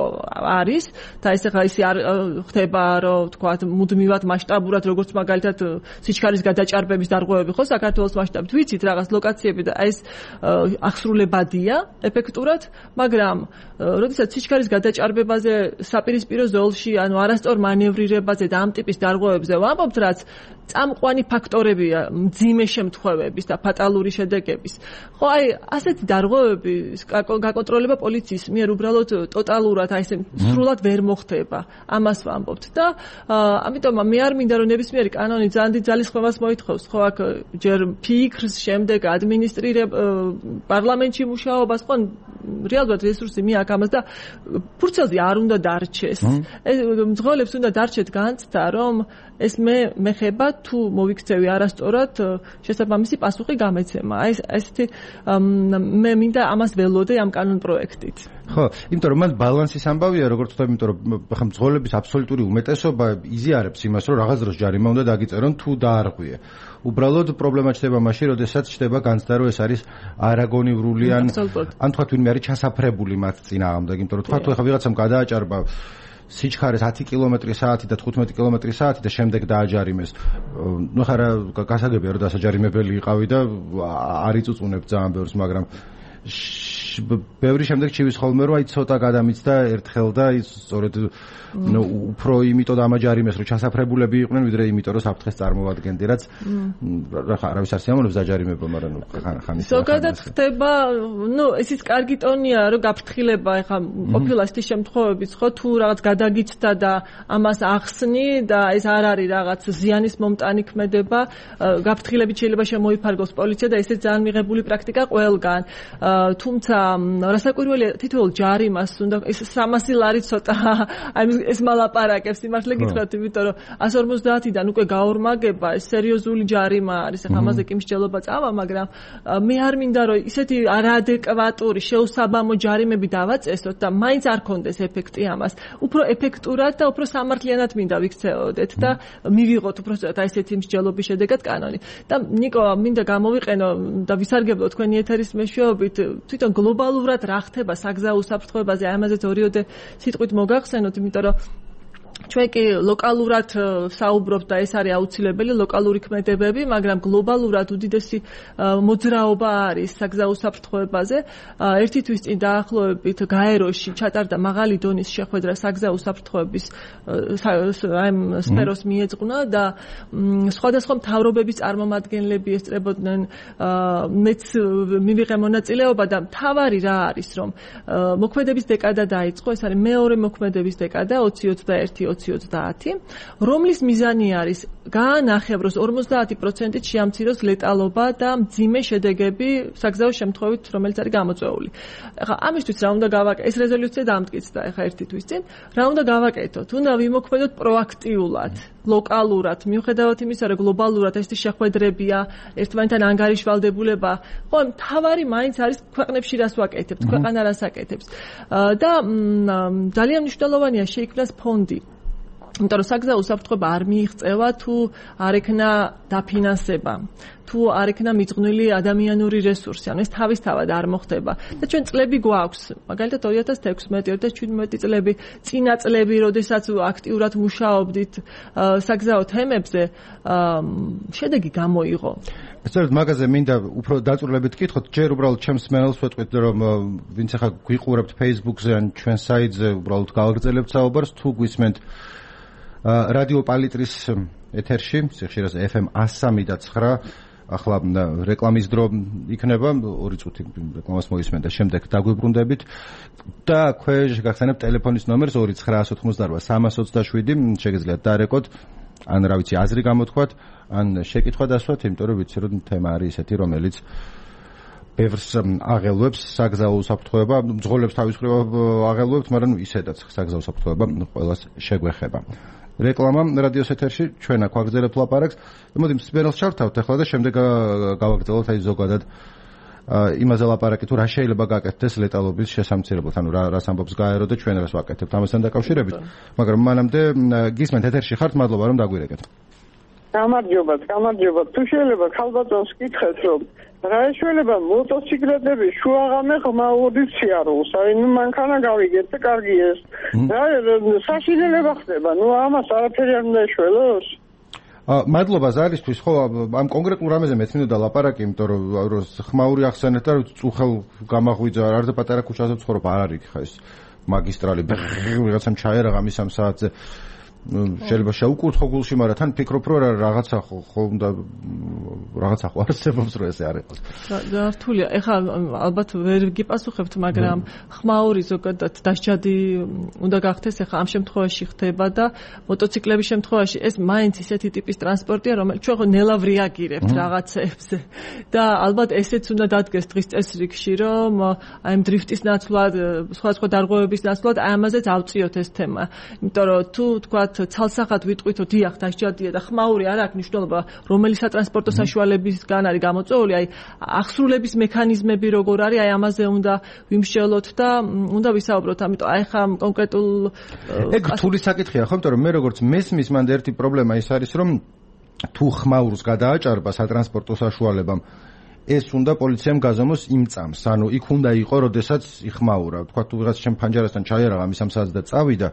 არის და ეს ახლა ისე არ ხდება რომ თქვა მუდმივად მასშტაბურად როგორც მაგალითად სიჩქარის გადაჭარბების დარღვევები ხო საქართველოს მასშტაბით ვიცით რაღაც ლოკაციები და ეს აღსრულებადია ეფექტურად, მაგრამ როდესაც სიჩქარის გადაჭარბებაზე საპირისპირო ზოლში, ანუ არასწორ მანევრირებაზე და ამ ტიპის დარღვევებზე ვამბობთ, რაც წამყვანი ფაქტორებია მძიმე შემთხვევების და ფატალური შედეგების. ხო, აი ასეთი დარღვევები გაკონტროლება პოლიციის მიერ უბრალოდ ტოტალურად აი ესე სრულად ვერ მოხდება. ამას ვამბობთ და ამიტომ მე არ მინდა რომ ნებისმიერი კანონი ძალიან დიდ ძალისხმევას მოითხოვს, ხო, აქ ჯერ ფიქრს, შემდეგ პარლამენტში მუშაობას, ხო, რეალურად რესურსი მიაქვს ამას და ფურცელზე არ უნდა დარჩეს. ეს მძღოლებს უნდა დარჩეთ განცდა, რომ ეს მეხება თუ მოვიქცევი არასწორად შესაბამისი პასუხი გამეცემა. აი ესეთი მე მინდა ამას ველოდე ამ კანონ პროექტით. ხო, იმიტომ რომ მან ბალანსის ამბავია, როგორც ვთქვი, იმიტომ რომ ხა მძღოლების აბსოლუტური უმეტესობა იზიარებს იმას, რომ რაღაც დროს ჯარიმა უნდა დაგიწერონ თუ დაარღვიე. უბრალოდ პრობლემა ჩდება მაშინ, როდესაც ჩდება განცდა, რომ ეს არის არაგონივრული ან თქვა ვინმე არის ჩასაფრებული მათ წინააღმდეგ, იმიტომ რომ თქვა თუ ხა ვიღაცამ გადააჭარბა სიჩქარეს 10 კმ/სთ და 15 კმ/სთ და შემდეგ დააჯარიმეს. ნუ ხარა გასაგებია რომ დასაჯარიმებელი იყავი და არ იწუწუნებ ძალიან ბევრს, მაგრამ ბევრი შემდეგ ჩივის ხოლმე რომ აი ცოტა გადამიცდა ერთხელ და ის სწორედ უფრო იმიტომ დამაჯარიმეს რომ ჩასაფრებულები იყვნენ ვიდრე იმიტომ რომ საფრთხეს წარმოადგენდნენ, რაც არავის არ სიამოვნებს დაჯარიმება, მაგრამ ხანის ზოგადად ხდება, ეს ის კარგი ტონია რომ გაფრთხილება, ეხლა ყოფილა ისეთი შემთხვევებიც, ხო, თუ რაღაც გადაგიცდა და ამას ახსნი და ეს არ არის რაღაც ზიანის მომტანი ქმედება, გაფრთხილებით შეიძლება შემოიფარგოს პოლიცია და ესეც ძალიან მიღებული პრაქტიკა ყველგან. თუმცა რასაკვირველია თითოეულ ჯარიმას უნდა ეს 300 ლარი ცოტა აი ეს მალაპარაკებს იმართლე გითხრათ იმიტომ რომ 150-დან უკვე გაორმაგება ეს სერიოზული ჯარიმა არის ახლა ამაზე კი მსჯელობა წავა მაგრამ მე არ მინდა რომ ისეთი არაადეკვატური შეუსაბამო ჯარიმები დავაწესოთ და მაინც არ კონდეს ეფექტი ამას უფრო ეფექტურად და უფრო სამართლიანად მინდა ვიქცეოდეთ და მივიღოთ უფრო ცოტა ესეთი მსჯელობის შედეგად კანონი და ნიკო მინდა გამოვიყენო და ვისარგებლო თქვენი ეთერის მეშვეობით თვითონ გლობალურად რა ხდება საგზაო უსაფრთხოებაზე ამაზეც ორიოდე სიტყვით მოგახსენოთ იმიტომ რომ ჩვენ კი ლოკალურად საუბრობთ და ეს არის აუცილებელი ლოკალური ქმედებები, მაგრამ გლობალურად უდიდესი მოძრაობა არის საგზაო უსაფრთხოებაზე. ერთი თვის წინ დაახლოებით გაეროში ჩატარდა მაღალი დონის შეხვედრა საგზაო უსაფრთხოების სფეროს მიეძღვნა და სხვადასხვა მთავრობების წარმომადგენლები ესწრებოდნენ მეც მივიღე მონაწილეობა და მთავარი რა არის რომ მოქმედების დეკადა დაიწყო, ეს არის მეორე მოქმედების დეკადა 2021-2020, რომლის მიზანი არის გაანახევროს 50%-ით შეამციროს ლეტალობა და მძიმე შედეგები საგზაო შემთხვევით, რომელიც არის გამოწვეული. ახლა ამისთვის რა უნდა გავაკეთოთ? ეს რეზოლუცია დამტკიცდა ახლა ერთი თვის წინ. რა უნდა გავაკეთოთ? უნდა ვიმოქმედოთ პროაქტიულად, ლოკალურად, მიუხედავად იმისა, რომ გლობალურად ესეთი შეხვედრებია, ერთმანეთთან ანგარიშვალდებულება, ხო, მთავარი მაინც არის ქვეყნებში რას ვაკეთებთ, ქვეყანა რას აკეთებს. და ძალიან მნიშვნელოვანია შეიქმნას ფონდი. იმიტომ რომ საგზაო უსაფრთხოება არ მიიღწევა თუ არ ექნა დაფინანსება, თუ არ ექნა მიძღვნილი ადამიანური რესურსი, ანუ ეს თავისთავად არ მოხდება. და ჩვენ წლები გვაქვს, მაგალითად 2016-2017 წლები, წინა წლები, როდესაც აქტიურად მუშაობდით საგზაო თემებზე, შედეგი გამოიღო. სწორედ მაგაზე მინდა უფრო დაწვრილებით გითხოთ, ჯერ უბრალოდ ჩემს მენელს ვეტყვით, რომ ვინც ახლა გვიყურებთ Facebook-ზე ან ჩვენ საიტზე, უბრალოდ გავაგრძელებთ საუბარს, თუ გვისმენთ რადიო პალიტრის ეთერში, სიხშირეზე FM 103.9, ახლა რეკლამის დრო იქნება, 2 წუთი რეკლამას მოისმენთ და შემდეგ დაგვიბრუნდებით და ქვეშ გახსენებთ ტელეფონის ნომერს 298-327, შეგიძლიათ დარეკოთ, ან რა ვიცი, აზრი გამოთქვათ, ან შეკითხვა დასვათ, იმიტომ რომ ვიცი რომ თემა არის ესეთი, რომელიც ბევრს აღელვებს საგზაო უსაფრთხოება, მძღოლებს თავის მხრივ აღელვებთ, მაგრამ ისედაც საგზაო უსაფრთხოება ყველას შეგვეხება. რეკლამა რადიოს ეთერში, ჩვენ აქ ვაგრძელებთ ლაპარაკს. მოდი მსმენელს ჩავთავთ ახლა და შემდეგ გავაგრძელოთ აი ზოგადად იმაზე ლაპარაკი თუ რა შეიძლება გაკეთდეს ლეტალობის შესამცირებლად, ანუ რას ამბობს გაერო და ჩვენ რას ვაკეთებთ ამასთან დაკავშირებით. მაგრამ მანამდე გისმენთ ეთერში ხართ, მადლობა რომ დაგვირეკეთ. გამარჯობა. თუ შეიძლება ქალბატონს კითხეთ, რომ რა შეიძლება მოტოციკლეტები შუაღამე ღმაურის სიარულს, აი ნუ მანქანა გავიგეთ და კარგი ეს. რა საშინელება ხდება, ნუ ამას არაფერი არ უნდა ეშველოს. მადლობა ზარისთვის, ხო, ამ კონკრეტულ რამეზე მეც მინდოდა ლაპარაკი, იმიტომ რომ ხმაური ახსენეთ და წუხელ გამაღვიძა, არც პატარა ქუჩაზე ვცხოვრობ, არ არის ხა ეს მაგისტრალი, ვიღაცამ ჩაერაღა მის ამ საათზე. შეიძლება შეუკურთხო გულში, მაგრამ თან ფიქრობ, რომ რაღაცა ხო უნდა რაღაცა ხო არსებობს, რომ ესე არ იყოს. რთულია. ეხლა ალბათ ვერ გიპასუხებთ, მაგრამ ხმაური ზოგადად დასჯადი უნდა გახდეს, ეხლა ამ შემთხვევაში ხდება და მოტოციკლების შემთხვევაში ეს მაინც ისეთი ტიპის ტრანსპორტია, რომელიც ჩვენ ხო ნელა ვრიაგირებთ რაღაცეებზე. და ალბათ ესეც უნდა დადგეს დღის წესრიგში, რომ აი ამ დრიფტის ნაცვლად, სხვადასხვა დარღვევების ნაცვლად აი ამაზეც ავწიოთ ეს თემა. იმიტომ რომ თუ თქვა ცალსახად ვიტყვით, დიახ, დასჯადია და ხმაური არ აქვს მნიშვნელობა, რომელი სატრანსპორტო საშუალებისგან არის გამოწვეული, აი ახსრულების მექანიზმები როგორ არის, აი ამაზე უნდა ვიმსჯელოთ და უნდა ვისაუბროთ, ამიტომ აი ხა კონკრეტულ ეგ რთული საკითხია, ხო, იმიტომ რომ მე როგორც მესმის მანდ ერთი პრობლემა ის არის, რომ თუ ხმაურს გადააჭარბა სატრანსპორტო საშუალებამ, ეს უნდა პოლიციამ გაზომოს იმ წამს, ანუ იქ უნდა იყო, როდესაც იხმაურა, თქვა თუ ვიღაც ჩემ ფანჯარასთან ჩაერაღა მის ამ საათს და წავიდა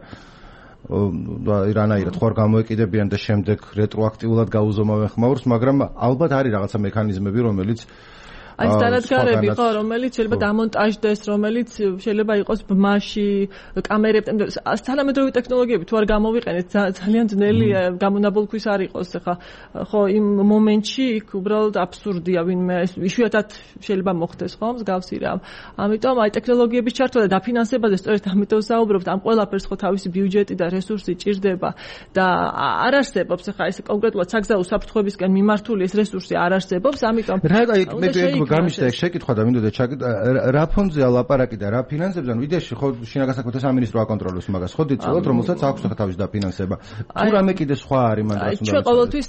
რანაირად ხوار გამოეკიდებიან და შემდეგ რეტროაქტიულად გაუზომავენ ხმაურს, მაგრამ ალბათ არის რაღაცა მექანიზმები, რომელიც აი დანადგარები ხო, რომელიც შეიძლება დამონტაჟდეს, რომელიც შეიძლება იყოს ბმაში, კამერები, თანამედროვე ტექნოლოგიები თუ არ გამოვიყენეთ, ძალიან ძნელია გამონაბოლქვის არ იყოს, ხა ხო იმ მომენტში იქ უბრალოდ აბსურდია, ვინმე იშვიათად შეიძლება მოხდეს, ხო, მსგავსი რამ. ამიტომ აი ტექნოლოგიების ჩართვა და დაფინანსებაზე სწორედ ამიტომ საუბრობთ, ამ ყველაფერს ხო თავისი ბიუჯეტი და რესურსი ჭირდება და არ არსებობს ხა ეს კონკრეტულად საგზაო უსაფრთხოებისკენ მიმართული ეს რესურსი არ არსებობს, ამიტომ გამიშდა ეგ შეკითხვა და მინდოდა რა ფონდზეა ლაპარაკი და რა ფინანსებზე, ანუ იდეაში ხო შინაგან საქმეთა სამინისტრო აკონტროლებს მაგას, ხო დიწევთ, რომელსაც აქვს თავის დაფინანსება. თუ რამე კიდე სხვა არის მან რაც უნდა. ჩვენ ყოველთვის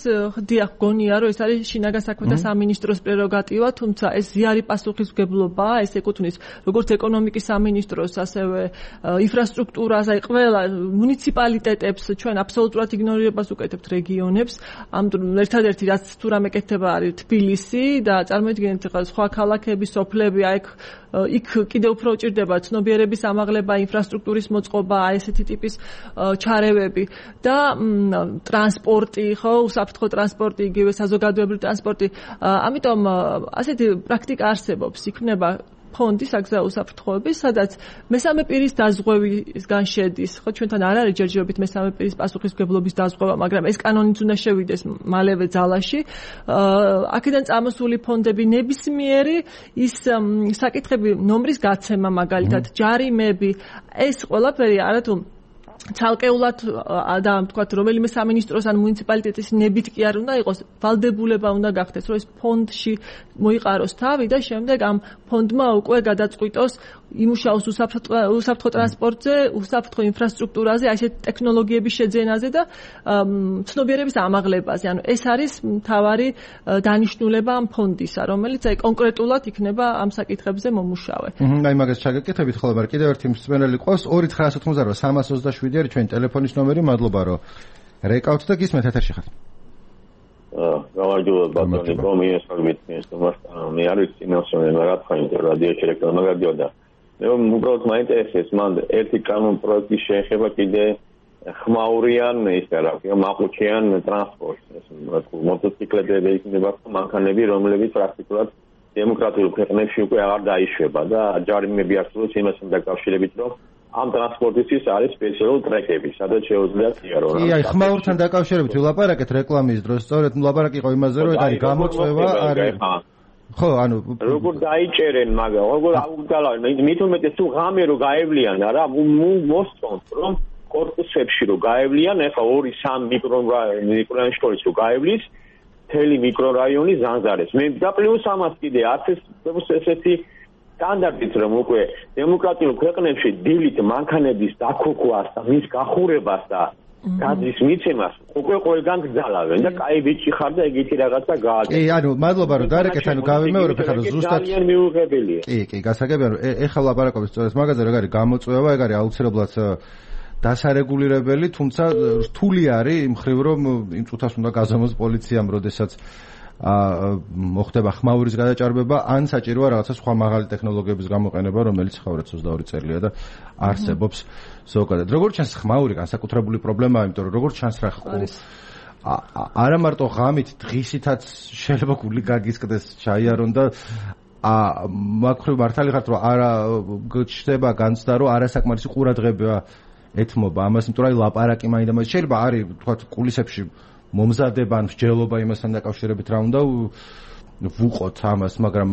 დიახ გონია რომ ეს არის შინაგან საქმეთა სამინისტროს პრეროგატივა, თუმცა ეს ზიარი პასუხისმგებლობაა, ეს ეკუთვნის როგორც ეკონომიკის სამინისტროს, ასევე ინფრასტრუქტურას, აი ყველა მუნიციპალიტეტებს ჩვენ აბსოლუტურად იგნორირებას უკეთებთ რეგიონებს. ამიტომ ერთადერთი რაც თუ რამე კეთება არის თბილისი და წარმოიდგინეთ ახლა სხვა ქალაქები, სოფლები, აი იქ კიდევ უფრო უჭირდება ცნობიერების ამაღლება, ინფრასტრუქტურის მოწყობა, ესეთი ტიპის ჩარევები და ტრანსპორტი, ხო, უსაფრთხო ტრანსპორტი, იგივე საზოგადოებრივი ტრანსპორტი. ამიტომ ასეთი პრაქტიკა არსებობს, იქნება ფონდი საგზაო უსაფრთხოების, სადაც მესამე პირის დაზღვევისგან შედის. ხო, ჩვენთან არ არის ჯერჯერობით მესამე პირის პასუხისმგებლობის დაზღვევა, მაგრამ ეს კანონიც უნდა შევიდეს მალევე ძალაში. აქედან წამოსული ფონდები ნებისმიერი ის საკითხები, ნომრის გაცემა მაგალითად, ჯარიმები, ეს ყველაფერი არათუ ცალკეულად და თქვათ რომელიმე სამინისტროს ან მუნიციპალიტეტის ნებით კი არ უნდა იყოს, ვალდებულება უნდა გახდეს, რომ ეს ფონდში მოიყაროს თავი და შემდეგ ამ ფონდმა უკვე გადაწყვიტოს იმუშაოს უსაფრთხო ტრანსპორტზე, უსაფრთხო ინფრასტრუქტურაზე, ასეთ ტექნოლოგიების შეძენაზე და ცნობიერების ამაღლებაზე. ანუ ეს არის მთავარი დანიშნულება ამ ფონდისა, რომელიც აი კონკრეტულად იქნება ამ საკითხებზე მომუშავე. აი მაგას ჩაგეკითხებით ხოლმე, მაგრამ კიდევ ერთი მსმენელი ყავს 2988 არის ჩვენი ტელეფონის ნომერი, მადლობა რომ რეკავთ და გისმენთ ეთერში ხართ. გამარჯობა ბატონი, კომიესალმით მე არ ვიცი ნაციონალური რა თქვა რადიოში რეკლამა გადიოდა. მე უბრალოდ მაინტერესებს მან ერთი კანონ პროექტის შეეხება კიდე ხმაურიან ის რა ქვია მაყუჩიან ტრანსპორტს, მოტოციკლები იქნება მანქანები, რომლებიც პრაქტიკულად დემოკრატიულ ქვეყნებში უკვე აღარ დაიშვება და ჯარიმები არსებობს იმასთან დაკავშირებით, რომ ამ ტრანსპორტისთვის არის სპეციალური ტრეკები, სადაც შეუძლია იარო. აი, ხმაურთან დაკავშირებით ვილაპარაკეთ რეკლამის დროს, სწორედ ლაპარაკი იყო იმაზე, რომ არის გამოწვევა, არის ხო, ანუ როგორ დაიჭერენ მაგა, როგორ აუგდალავენ, მით უმეტეს თუ ღამე რო გაევლიან რა, მოსწონთ რომ კორპუსებში რო გაევლიან, ეხლა 2-3 მიკრორაიონის შორის რო გაევლის, მთელი მიკრორაიონი ზანზარებს. მე და პლუს ამას კიდე ესეთი სტანდარტით რომ უკვე დემოკრატიულ ქვეყნებში დილით მანქანების დაქოქვას და მის გახურებას და გადის მიცემას უკვე ყველგან გძალავენ და კაი ბიჭი ხარ და ეგეთი რაღაცა გააკეთე. კი, ანუ მადლობა რომ დარეკეთ, ანუ გავიმეორებ ხარ ზუსტად. ძალიან მიუღებელია. კი, გასაგებია რომ ეხლა ლაპარაკობთ სწორედ მაგაზე, რომ არის გამოწვევა, ეგ არის აუცილებლად დასარეგულირებელი, თუმცა რთული არის იმ მხრივ რომ იმ წუთას უნდა გაზომოს პოლიციამ, როდესაც მოხდება ხმაურის გადაჭარბება, ან საჭიროა რაღაცა სხვა მაღალი ტექნოლოგიების გამოყენება, რომელიც ხავრად 22 წელია და არსებობს ზოგადად. როგორც ჩანს, ხმაური განსაკუთრებული პრობლემაა, იმიტომ რომ როგორც ჩანს რა არა მარტო ღამით, დღისითაც შეიძლება გული გაგისკდეს, ჩაიარონ და მაგხრივ მართალი ხართ, რომ არა გჩნდება განცდა, რომ არასაკმარისი ყურადღება ეთმობა ამას, იმიტომ რომ ლაპარაკი მაინდა შეიძლება არის, თქვათ, კულისებში მომზადება ან მსჯელობა იმასთან დაკავშირებით რა უნდა ვუყოთ ამას, მაგრამ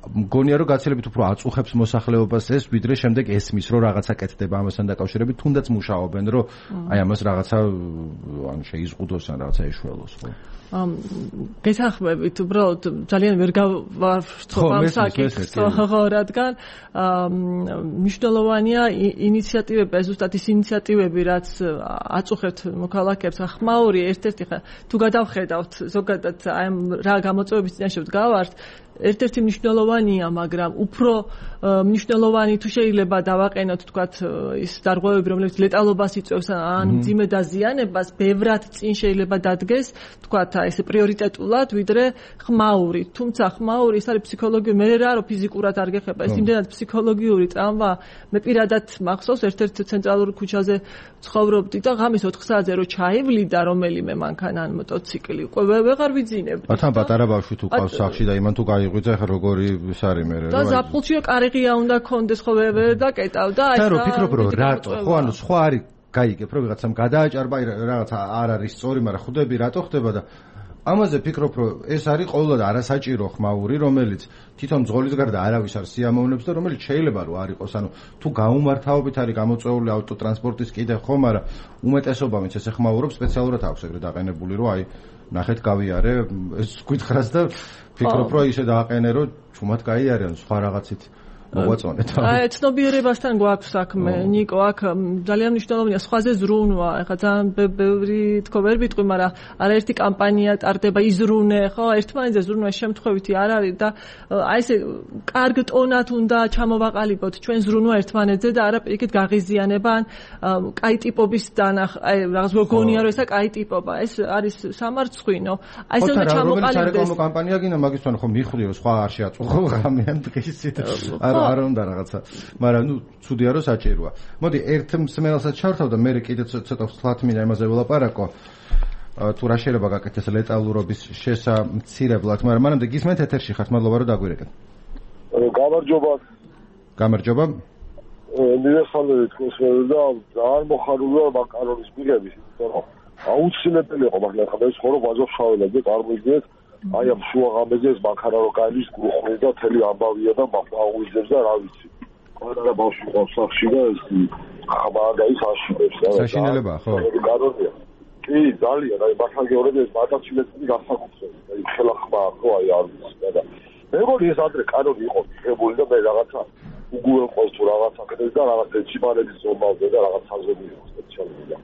მგონია რომ გაცილებით უფრო აწუხებს მოსახლეობას ეს, ვიდრე შემდეგ ესმის რომ რაღაცა კეთდება ამასთან დაკავშირებით, თუნდაც მუშაობენ რომ აი ამას რაღაცა ან შეიზღუდოს ან რაღაცა ეშველოს, ხო? გესახმებით, უბრალოდ ძალიან ვერ გავარცხობ ამ საკითხს, ხო, რადგან მნიშვნელოვანია ინიციატივები, ზუსტად ის ინიციატივები, რაც აწუხებთ მოქალაქეებს, ხმაური ერთ-ერთი თუ გადავხედავთ ზოგადად აი რა გამოწვევების წინაშე ვდგავართ, ერთ-ერთი მნიშვნელოვანია, მაგრამ უფრო მნიშვნელოვანი თუ შეიძლება დავაყენოთ, თქვათ, ის დარღვევები, რომლებიც ლეტალობას იწვევს ან მძიმე დაზიანებას, ბევრად წინ შეიძლება დადგეს, თქვათ, ეს პრიორიტეტულად, ვიდრე ხმაური. თუმცა ხმაური ის არის ფსიქოლოგიური, მე რა რომ ფიზიკურად არ გეხება, ეს იმდენად ფსიქოლოგიური ტრავმა. მე პირადად მახსოვს ერთ-ერთ ცენტრალურ ქუჩაზე ცხოვრობდი და ღამის 4 საათზე რო ჩაივლიდა რომელიმე მანქანა ან მოტოციკლი, უკვე ვეღარ ვიძინებდი. თან პატარა ბავშვი თუ ყავს სახში და იმან თუ გაიღვიძა, ხა როგორი ის არის მე რა. და ზაფხულში კარიღია უნდა კონდეს, ხო ვერ დაკეტავ და აი რა ვფიქრობ რომ რატო, ხო ანუ სხვა არის გაიგებ რომ ვიღაცამ გადააჭარბა, რაღაცა არ არის სწორი, მაგრამ ხვდები რატო ხდება და ამაზე ფიქრობ რომ ეს არის ყოველდღე არასაჭირო ხმაური, რომელიც თვითონ ძღოლის გარდა არავის არ სიამოვნებს და რომელიც შეიძლება რომ არ იყოს, ანუ თუ გაუმართავობით არის გამოწვეული ავტოტრანსპორტის კიდე ხო, მაგრამ უმეტესობა ვინც ესე ხმაურობს სპეციალურად აქვს ეგრე დაყენებული, რომ აი ნახეთ გავიარე ეს გითხრას და ფიქრობ რომ ისე დააყენე რომ ჩუმად გაიარენ სხვა რაღაცით მოგვაწონეთ. აი ცნობიერებასთან გვაქვს საქმე, ნიკო, აქ ძალიან მნიშვნელოვანია სხვაზე ზრუნვა. ეხლა ძალიან ბევრი თქო ვერ ვიტყვი, მაგრამ არაერთი კამპანია ტარდება იზრუნე, ხო? ერთმანეთზე ზრუნვა შემთხვევითი არ არის და აი ესე კარგ ტონად უნდა ჩამოვაყალიბოთ ჩვენ ზრუნვა ერთმანეთზე და არა პირიქით გაღიზიანება ან კაი ტიპობის აი რაღაც გონია რომ ესა კაი ტიპობა. ეს არის სამარცხვინო. აი ესე უნდა ჩამოყალიბდეს. სარეკლამო კამპანია გინდა მაგისთან ხო მიხვრიო სხვა არ შეაწუხო ღამიან დღისით. არ უნდა რაღაცა, მაგრამ ცუდია რომ საჭიროა. მოდი ერთ მსმენელსაც ჩავთავ და მე კიდე ცოტა ვსვლათ მინდა იმაზე ველაპარაკო. თუ რა შეიძლება გაკეთდეს ლეტალურობის შესამცირებლად, მაგრამ მანამდე გისმენთ ეთერში ხართ, მადლობა რომ დაგვირეკეთ. გამარჯობა. მიხარული თქვენს და ძალიან მოხარულია მაკარონის მიღების, იმიტომ აუცილებელი იყო მაგრამ ხა ეს ხორო ვაჟავშაველები წარმოიდგინეთ აი ამ შუაღამეზე ეს მანქანა რო გაილის გუხმის და თელი ამბავია და მაუიზებს და რა ვიცი. ყველა ბავშვი ყავს სახში და ეს ხაბაგაის აშინებს რა. საშინელებაა ხო? კარგია. კი, ძალიან, აი მართალგეორები ეს მარტაცილები გასაკუთრებით. აი ხელა ხმა ხო აი არ ვიცი და მეგონი ეს ადრე კანონი იყო მიღებული და მე რაღაცა უგუელყოს თუ რაღაცა კეთეს და რაღაცა ეჩიბარების ზომალზე და რაღაც საზები იყო სპეციალური და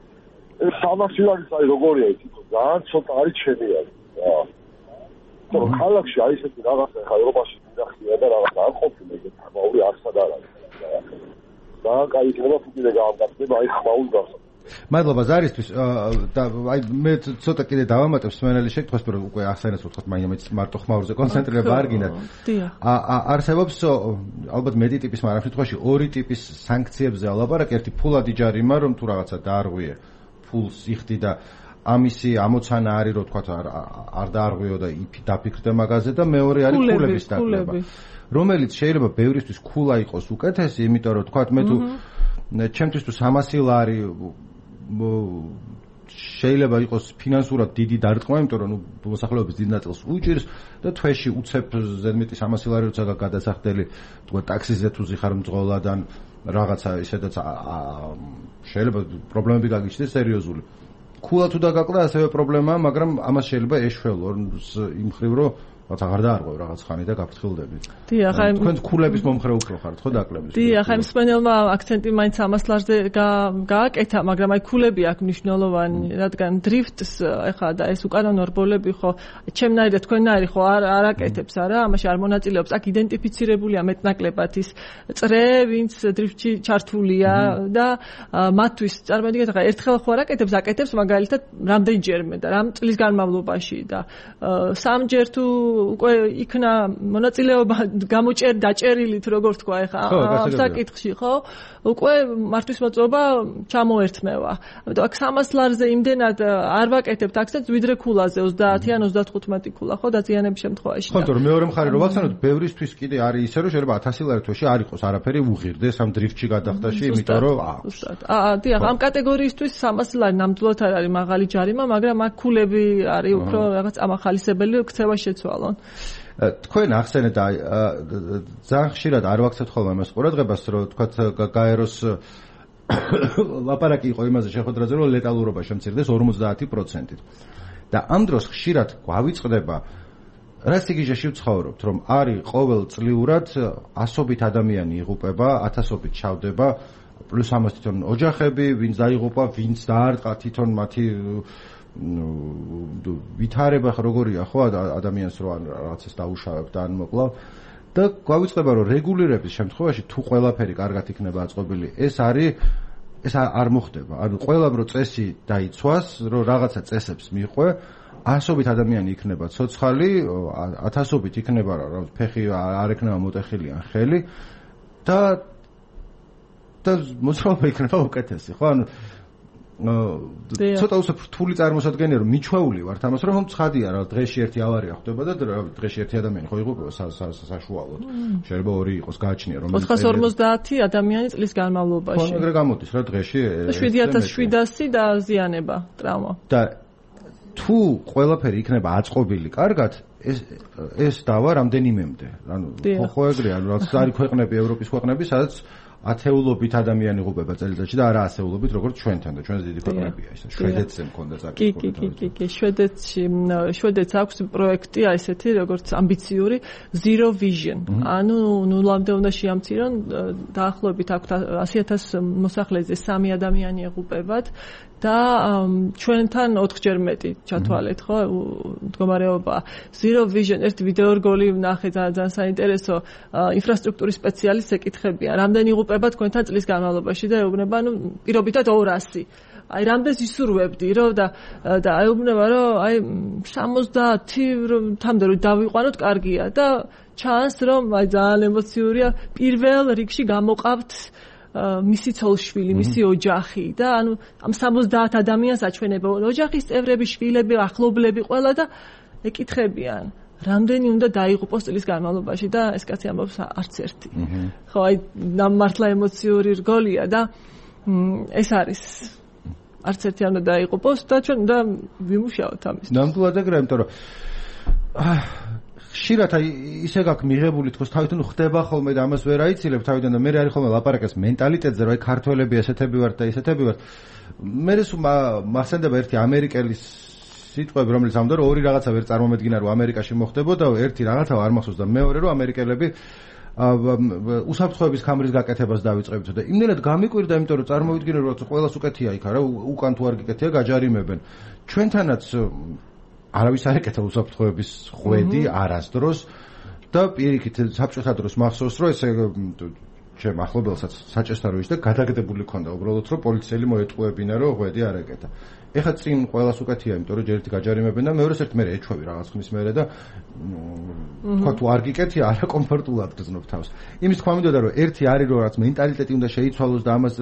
ეს სამართლიანიც აი როგორია ის ძალიან ცოტა არის ჩემი არის. რა. то ქალაქში აი ესეთი რაღაცა ხა ევროპაში მინახია და რაღაცა არ ყოფილა ეგეთ ხმაური არსად არ არის. ძალიან კაი იქნება თუ კიდე გაამგაცნება აი ხმაური გასა. მადლობა ზარისთვის და აი მე ცოტა კიდე დავამატებ სმენელის შეკითხვას, რომ უკვე ახსენეთ ვთქვათ, მაინც მარტო ხმაურზე კონცენტრირება არ გინდათ. არსებობს ალბათ მეტი ტიპის, მაგრამ შემთხვევაში ორი ტიპის სანქციებზე ალაპარაკი, ერთი ფულადი ჯარიმა, რომ თუ რაღაცა დაარღვიე, ფულს იხდი და ამისი ამოცანა არის, რომ თქვათ არ დაარღვიო და დაფიქრდე მაგაზე და მეორე არის ფულების დაკლება. რომელიც შეიძლება ბევრისთვის ქულა იყოს უკეთესი, იმიტომ რომ თქვათ მე თუ ჩემთვის თუ 300 ლარი შეიძლება იყოს ფინანსურად დიდი დარტყმა, იმიტომ რომ მოსახლეობის დიდ ნაწილს უჭირს და თვეში უცებ ზედმეტი 300 ლარი როცა გადასახდელი თქვა ტაქსიზე თუ ზიხარ მძღოლადან რაღაცა ისედაც შეიძლება პრობლემები გაგიჩნდეს სერიოზული. ქულა თუ დაგაკლა ასევე პრობლემაა, მაგრამ ამას შეიძლება ეშველო იმ ხრივ რომ რაც აღარ დაარღვევ რაღაც ხანი და გაფრთხილდები. დიახ, აი თქვენ ქულების მომხრე უფრო ხართ ხო დაკლების? დიახ, აი მსმენელმა აქცენტი მაინც ამას ლარზე გააკეთა, მაგრამ აი ქულები აქ მნიშვნელოვანი, რადგან დრიფტს ეხლა და ეს უკანონო რბოლები ხო ჩემნაირი და თქვენნაირი ხო არ აკეთებს არა, ამაში არ მონაწილეობს. აქ იდენტიფიცირებულია მეტნაკლებად ის წრე, ვინც დრიფტში ჩართულია და მათთვის წარმოიდგინეთ ახლა ერთხელ ხო არ აკეთებს მაგალითად რამდენჯერმე და რამ წლის განმავლობაში და სამჯერ თუ უკვე იქნა მონაწილეობა დაჭერილით როგორ თქვა ეხა ამ საკითხში ხო უკვე მართვის მოწობა ჩამოერთმევა. ამიტომ აქ 300 ლარზე იმდენად არ ვაკეთებთ აქცენტს ვიდრე ქულაზე 30 ან 35 ქულა ხო დაზიანების შემთხვევაში. ხო, თორემ მეორე მხარე რომ ვახსენოთ, ბევრისთვის კიდე არის ისე რომ შეიძლება 1000 ლარი თვეში არ იყოს არაფერი უღირდეს ამ დრიფტში გადახდაში, იმიტომ რომ დიახ, ამ კატეგორიისთვის 300 ლარი ნამდვილად არ არის მაღალი ჯარიმა, მაგრამ აქ ქულები არის უფრო რაღაც ამახალისებელი ქცევა შეცვალონ. თქვენ ახსენეთ და ძალიან ხშირად არ ვაქცევთ ხოლმე ამას ყურადღებას, რომ თქვათ გაეროს ლაპარაკი იყო იმაზე შეხვედრაზე, რომ ლეტალურობა შემცირდეს 50%-ით. და ამ დროს ხშირად გვავიწყდება რა სიგიჟეში ვცხოვრობთ, რომ არის ყოველწლიურად ასობით ადამიანი იღუპება, ათასობით ჩავდება, პლუს ამას თვითონ ოჯახები, ვინც დაიღუპა, ვინც დაარტყა თვითონ მათი ვითარება როგორია ხო ადამიანს რო რაღაცას დაუშავებ და ან მოკლავ და გვავიწყდება რომ რეგულირების შემთხვევაში თუ ყველაფერი კარგად იქნება აწყობილი ეს არ მოხდება. ანუ ყველამ რო წესი დაიცვას, რომ რაღაცა წესებს მიყვე, ასობით ადამიანი იქნება ცოცხალი, ათასობით იქნება ფეხი არ ექნება მოტეხილი ან ხელი და მოძრაობა იქნება უკეთესი, ხო? ანუ ცოტა უცებ რთული წარმოსადგენია რომ მიჩვეული ვართ ამას რომ ცხადია რა დღეში ერთი ავარია ხდება და დღეში ერთი ადამიანი ხო იღუპება საშუალოდ შეიძლება ორი იყოს გააჩნია რომ 450 ადამიანი წლის განმავლობაში ხო ეგრე გამოდის რა დღეში 7700 დაზიანება ტრავმა და თუ ყველაფერი იქნება აწყობილი კარგად ეს დავა რამდენიმემდე ანუ ხო ეგრეა რაც არის ქვეყნები ევროპის ქვეყნები სადაც ათეულობით ადამიანი იღუპება წელიწადში და არა ასეულობით, როგორც ჩვენთან და ჩვენს დიდი ქვეყნებია ეს. შვედეთზე მქონდა საკითხი. კი, შვედეთს აქვს პროექტი ესეთი, როგორც ამბიციური Zero Vision. ანუ ნულამდე უნდა შეამცირონ დაახლოებით აქვთ 100,000 მოსახლეზე 3 ადამიანი იღუპებათ და ჩვენთან 4-ჯერ მეტი ჩათვალეთ, ხო, მდგომარეობა. Zero Vision ერთი ვიდეო რგოლი ვნახე ძალიან საინტერესო ინფრასტრუქტურის სპეციალისტს ეკითხებიან, რამდენი იღუპება თქვენთან წლის განმავლობაში და ეუბნება, ну, პირობითად 200. აი, რამდენს ისურვებდი, რომ და ეუბნება, რომ აი 70-მდე რომ დავიყვანოთ, კარგია და ჩანს, რომ აი ძალიან ემოციურია, პირველ რიგში გამოყავთ მისი ცოლშვილი, მისი ოჯახი და ანუ ამ 70 ადამიანს აჩვენებენ ოჯახის წევრები, შვილები, ახლობლები ყველა და ეკითხებიან რამდენი უნდა დაიღუპოს წლის განმავლობაში და ეს კაცი ამბობს არც ერთი. ხო, აი მართლა ემოციური რგოლია და ეს არის არც ერთი არ უნდა დაიღუპოს და ჩვენ უნდა ვიმუშაოთ ამის. ნამდვილად ეგრეა, იმიტომ რომ ხშირად აი ისე გაქვს მიღებული თქოს თავიდან ხდება ხოლმე და ამას ვერ აიცილებ თავიდან და მე არის ხოლმე ლაპარაკეს მენტალიტეტზე რომ აი ქართველები ესეთები ვართ და ისეთები ვართ. მე მახსენდება ერთი ამერიკელის სიტყვები რომელიც ამბობდა რომ ორი რაღაცა ვერ წარმომედგინა რომ ამერიკაში მოხდებოდა, ერთი რაღაცა არ მახსოვს და მეორე რომ ამერიკელები უსაფრთხოების კამერის გაკეთებას დავიწყებთ და იმდენად გამიკვირდა, იმიტომ რომ წარმოვიდგინე რომ ყველას უკეთია იქ არა, უკან თუ არ გიკეთია გაჯარიმებენ. ჩვენთანაც არავის არ ეკეთა უსაფრთხოების ხვედი არასდროს და პირიქით საბჭოთა დროს მახსოვს რომ ესე ჩემ ახლობელსაც საჭესთან რო ისდა გადაგდებული ქონდა უბრალოდ რომ პოლიციელი მოეტყუებინა რომ ხვედი არ ეკეთა. ეხლა წინ ყველას უკეთია, იმიტომ რომ ჯერ ერთი გაჯარიმებენ და მეორეს ერთ მე ეჩვევი რაღაც ხნის მერე და თქვა თუ არ გიკეთია არა კომფორტულად გრძნობ თავს. იმის თქვა მინდოდა რომ ერთი არის რომ რაც მენტალიტეტი უნდა შეიცვალოს და ამას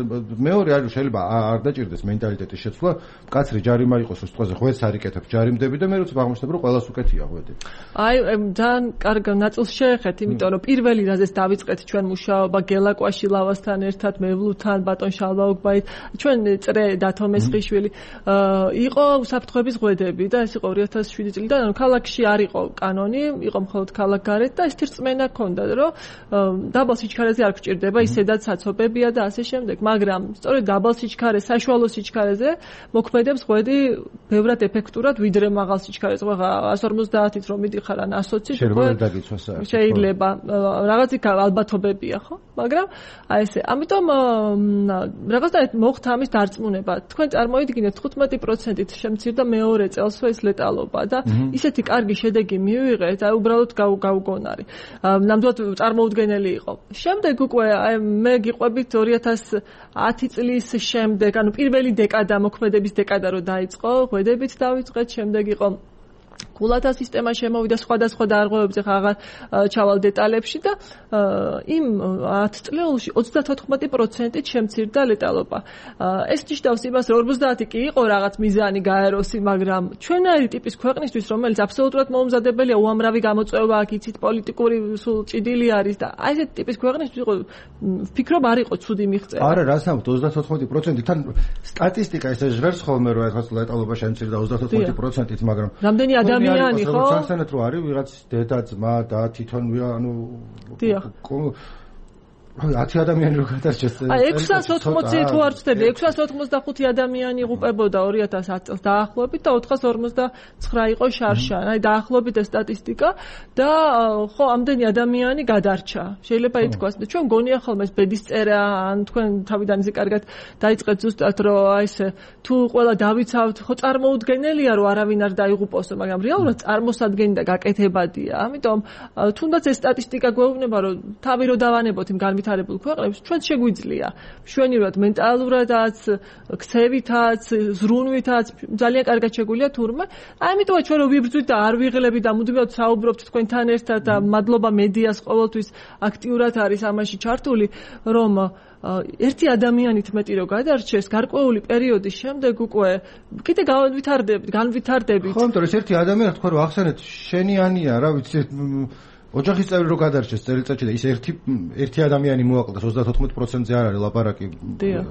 მეორე არის შეიძლება არ დაჭირდეს მენტალიტეტის შეცვლა, მკაცრი ჯარიმა იყოს რომ სიტყვაზე ხვედს არ იკეთებ ჯარიმდები და მე როცა აღმოჩნდება რომ ყველას უკეთია ხვედი. აი ძალიან კარგ ნაწილს შეეხეთ, იმიტომ რომ პირველი რაზეც დავიწყეთ ჩვენ მუშაობა გელაკვაში ლავასთან ერთად, მევლუთან, ბატონ შალვაუგბაით, ჩვენ წრე დათო მესხიშვილი იყო უსაფრთხოების ღვედები და ეს იყო 2007 წლიდან, ანუ ქალაქში არ იყო კანონი, იყო მხოლოდ ქალაქგარეთ და ეს რწმენა ჰქონდა, რომ დაბალ სიჩქარეზე არ გჭირდება ისედაც საცობებია და ასე შემდეგ, მაგრამ სწორედ დაბალ სიჩქარე, საშუალო სიჩქარეზე მოქმედებს ღვედი ბევრად ეფექტურად, ვიდრე მაღალ სიჩქარეზე. 150-ით რომ მიდიხარ ან 120-ით შეიძლება რაღაც ალბათობებია, ხო? მაგრამ აი ესე, ამიტომ რაღაცნაირად მოხდა ამის დარწმუნება. თქვენ წარმოიდგინეთ 15%-ით შემცირდა მეორე წელსვე ეს ლეტალობა და ისეთი კარგი შედეგი მივიღეთ, აი უბრალოდ გაუგონარი. ნამდვილად წარმოუდგენელი იყო. შემდეგ უკვე აი მე გიყვებით 2010 წლის შემდეგ, ანუ პირველი დეკადა მოქმედების დეკადა რო დაიწყო, ღვედებით დავიწყეთ, შემდეგ იყო გულათა სისტემა შემოვიდა სხვადასხვა დარღვევებზე, აღარ ჩავალ დეტალებში და იმ 10 წლეულში 34%-ით შემცირდა ლეტალობა. ეს ნიშნავს იმას, რომ 50 კი იყო რაღაც მიზანი გაეროსი, მაგრამ ჩვენაირი ტიპის ქვეყნისთვის, რომელიც აბსოლუტურად მოუმზადებელია, უამრავი გამოწვევა აქ იცით, პოლიტიკური სულ ჭიდილი არის და აი ესეთი ტიპის ქვეყნისთვის იყო ვფიქრობ არ იყო ცუდი მიღწევა. არა, რას ამბობ 34%-თან სტატისტიკა ესე ჟღერს ხოლმე რომ ეხლა ლეტალობა შემცირდა 34%-ით, მაგრამ რამდენი ადამიანი ხო? სანსანეთ რო არის ვიღაც დედა, ძმა და თვითონ ანუ 10 ადამიანი რო გადარჩეს. აი 680 თუ არ ვწდები, 685 ადამიანი იღუპებოდა 2010 წელს დაახლოებით და 459 იყო შარშან. აი დაახლოებით ეს სტატისტიკა და ხო ამდენი ადამიანი გადარჩა. შეიძლება ითქვას და ჩვენ გონია ხოლმე ეს ბედისწერა ან თქვენ თავიდან ისე კარგად დაიწყეთ ზუსტად რომ აი ესე თუ ყველა დავიცავთ, ხო წარმოუდგენელია რომ არავინ არ დაიღუპოსო, მაგრამ რეალურად წარმოსადგენი და გაკეთებადია. ამიტომ თუნდაც ეს სტატისტიკა გვეუბნება რომ თავი რო დავანებოთ იმ განვითარებულ ქვეყნებს, ჩვენ შეგვიძლია მშვენივრად მენტალურადაც, ქცევითაც, ზრუნვითაც ძალიან კარგად შეგვიძლია თურმე. ამიტომაც ჩვენ რო ვიბრძვით და არ ვიღლები და მუდმივად საუბრობთ თქვენთან ერთად და მადლობა მედიას ყოველთვის აქტიურად არის ამაში ჩართული, რომ ერთი ადამიანით მეტი რო გადარჩეს გარკვეული პერიოდის შემდეგ უკვე კიდე განვითარდებით. ხო, იმიტომ რომ ერთი ადამიანი თქვა რომ ახსენეთ შენიანია რა ვიცი ოჯახის წევრი რო გადარჩეს წელიწადში და ის ერთი ადამიანი მოაკლდეს 34%-ზე არ არის ლაპარაკი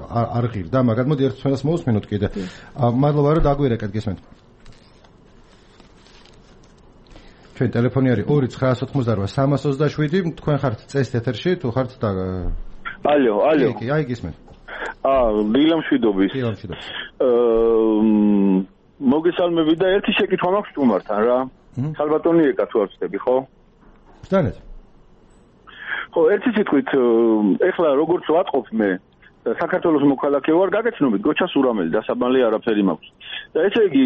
არ ღირდა, მაგრამ მოდი ერთ თემას მოусმინოთ კიდე. მადლობა რომ დაგვირეკეთ, გესმენთ. ჩვენ ტელეფონი არის 2988-327, თქვენ ხართ წესით ეთერში, თუ ხართ ალო. კი, აი გისმენთ. დილამშვიდობის. მოგესალმები და ერთი შეკითხვა მაქვს სტუმართან რა. ხალბატონი ეკა თუ არ ვწდები, ხო? ვსტანეთ. ხო, ერთი სიტყვით, ეხლა როგორც ვატყობ მე, საქართველოს მოქალაქე ვარ, გაგეცნობით, გოჩა სურამელი დასაბანლე არაფერი მაქვს. და ესე იგი,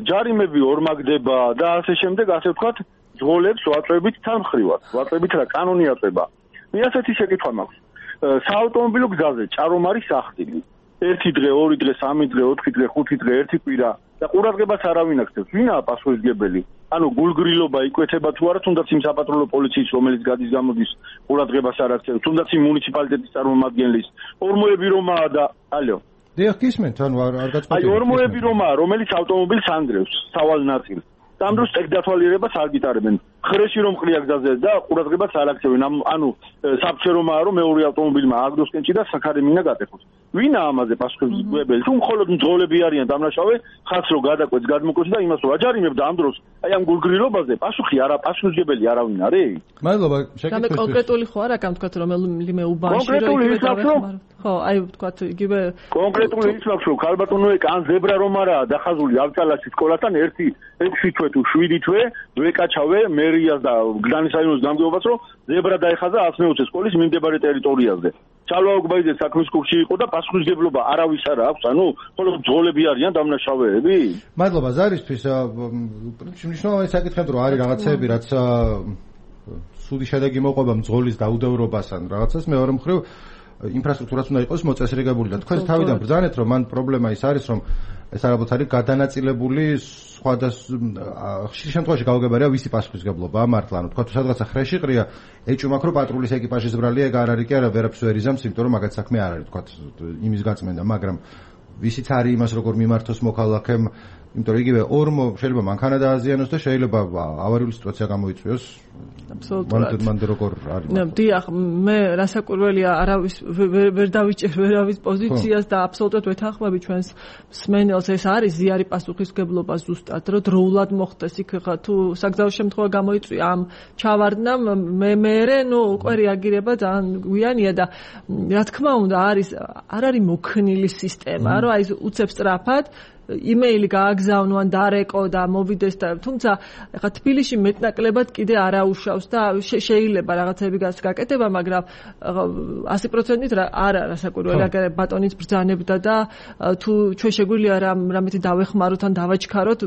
ჯარიმები ორმაგდება და ასე შემდეგ, ასე ვთქვათ, ძღოლებს ვაწვევით თანმხრივად, ვაწვევით რა კანონი აწვება. მე ასეთი შეკითხვა მაქვს. საავტომობილო გზაზე ჭარომ არის სახტილი. 1 დღე, 2 დღე, 3 დღე, 4 დღე, 5 დღე, 1 კვირა და ყურადღებას არავინ აქცევს. ვინაა პასუხისმგებელი? ანუ გულგრილობა იკვეთება თუ არა, თუნდაც იმ საპატრულო პოლიციის, რომელიც გადის გამოდის, ყურადღებას არ აქცევს, თუნდაც იმ მუნიციპალიტეტის წარმომადგენლის, ორმოები რომაა და ალო. დიახ, გისმენთ, ანუ არ გაწყობთ. აი, ორმოები რომაა, რომელიც ავტომობილს ანგრევს, სავალ ნაწილს. და ამ დროს ტექნოლოგიებას არ გიტარებენ. ხრეში რომ ყრია გზაზე და ყურადღებას არ აქცევენ. ანუ საფრთხე რომაა, რომ მეორე ავტომობილმა აგდოს კენჭი და საქარი მინა გატეხოს. ვინა ამაზე პასუხისმგებელი? თუ მხოლოდ მძღოლები არიან დამნაშავე, ხალხს რო გადაკვეთს, გადმოკვეთს და იმას რო აჯარიმებდა ამ დროს, აი ამ გულგრილობაზე პასუხისმგებელი არავინ არის? მადლობა, შეკითხვა. კონკრეტული ხო არა, կամ თქვათ რომელიმე უბანში რო იგივე ხო, აი თქვათ იგივე კონკრეტული ის მაქვს, რომ ხალბატონო ეკა ან ზებრა რომ არაა დახაზული ავტალაში სკოლასთან 6 თვე თუ 7 თვე ვეკაჩავე მერიას და გდანის რაიონის გამგეობას, რომ ზებრა დაეხაზა 120 სკოლის მიმდებარე ტერიტორიაზე. ჩალვა ოგბაიძე საქმის კურსში იყო და პასუხისმგებლობა არავის არ აქვს, ანუ მხოლოდ ძღოლები არიან დამნაშავეები. მადლობა ზარისთვის. მნიშვნელოვანი საკითხები რომ არის რაღაცეები, რაც სუდი შედეგი მოყვება მძღოლის დაუდევრობასთან რაღაცას, მეორე მხრივ ინფრასტრუქტურაც უნდა იყოს მოწესრიგებული და თქვენ თავიდან ბრძანეთ, რომ მან პრობლემა ის არის, რომ ეს ალბათ არის გადანაწილებული ხშირ შემთხვევაში გაუგებარია ვისი პასუხისმგებლობაა მართლა, ანუ თქვა თუ სადღაცა ხრეში ყრია, ეჭვმა რომ პატრულის ეკიპაჟის ბრალია, ეგ არ არის კი არა, ვერაფერს ვერ იზამს, იმიტომ რომ მაგათ საქმე არ არის, თქვა იმის გაწმენდა, მაგრამ ვისიც არის იმას როგორ მიმართოს მოქალაქემ, იმიტომ რომ იგივე ორმო შეიძლება მანქანა დააზიანოს და შეიძლება ავარიული სიტუაცია გამოიწვიოს. აბსოლუტურად. მანდ როგორ არის? დიახ, მე რასაკვირველია, არავის ვერ დავიჭერ ვერავის პოზიციას და აბსოლუტურად ვეთანხმები ჩვენს მსმენელს, ეს არის ზიარი პასუხისმგებლობა ზუსტად, რომ დროულად მოხდეს იქ ხა თუ საგზაო შემთხვევა გამოიწვია ამ ჩავარდნამ, მე უკვე რეაგირება ძალიან გვიანია და რა თქმა უნდა არ არის მოქნილი სისტემა, რომ აი უცებ სწრაფად იმეილი გააგზავნო ან დარეკო და მოვიდეს და თუმცა ეხა თბილისში მეტნაკლებად კიდე არაუშავს და შეიძლება რაღაცები გაკეთება, მაგრამ 100%-ით არა რასაკვირველია, აგერ ბატონიც ბრძანებდა და თუ ჩვენ შეგვიძლია რამეთი დავეხმაროთ ან დავაჩქაროთ,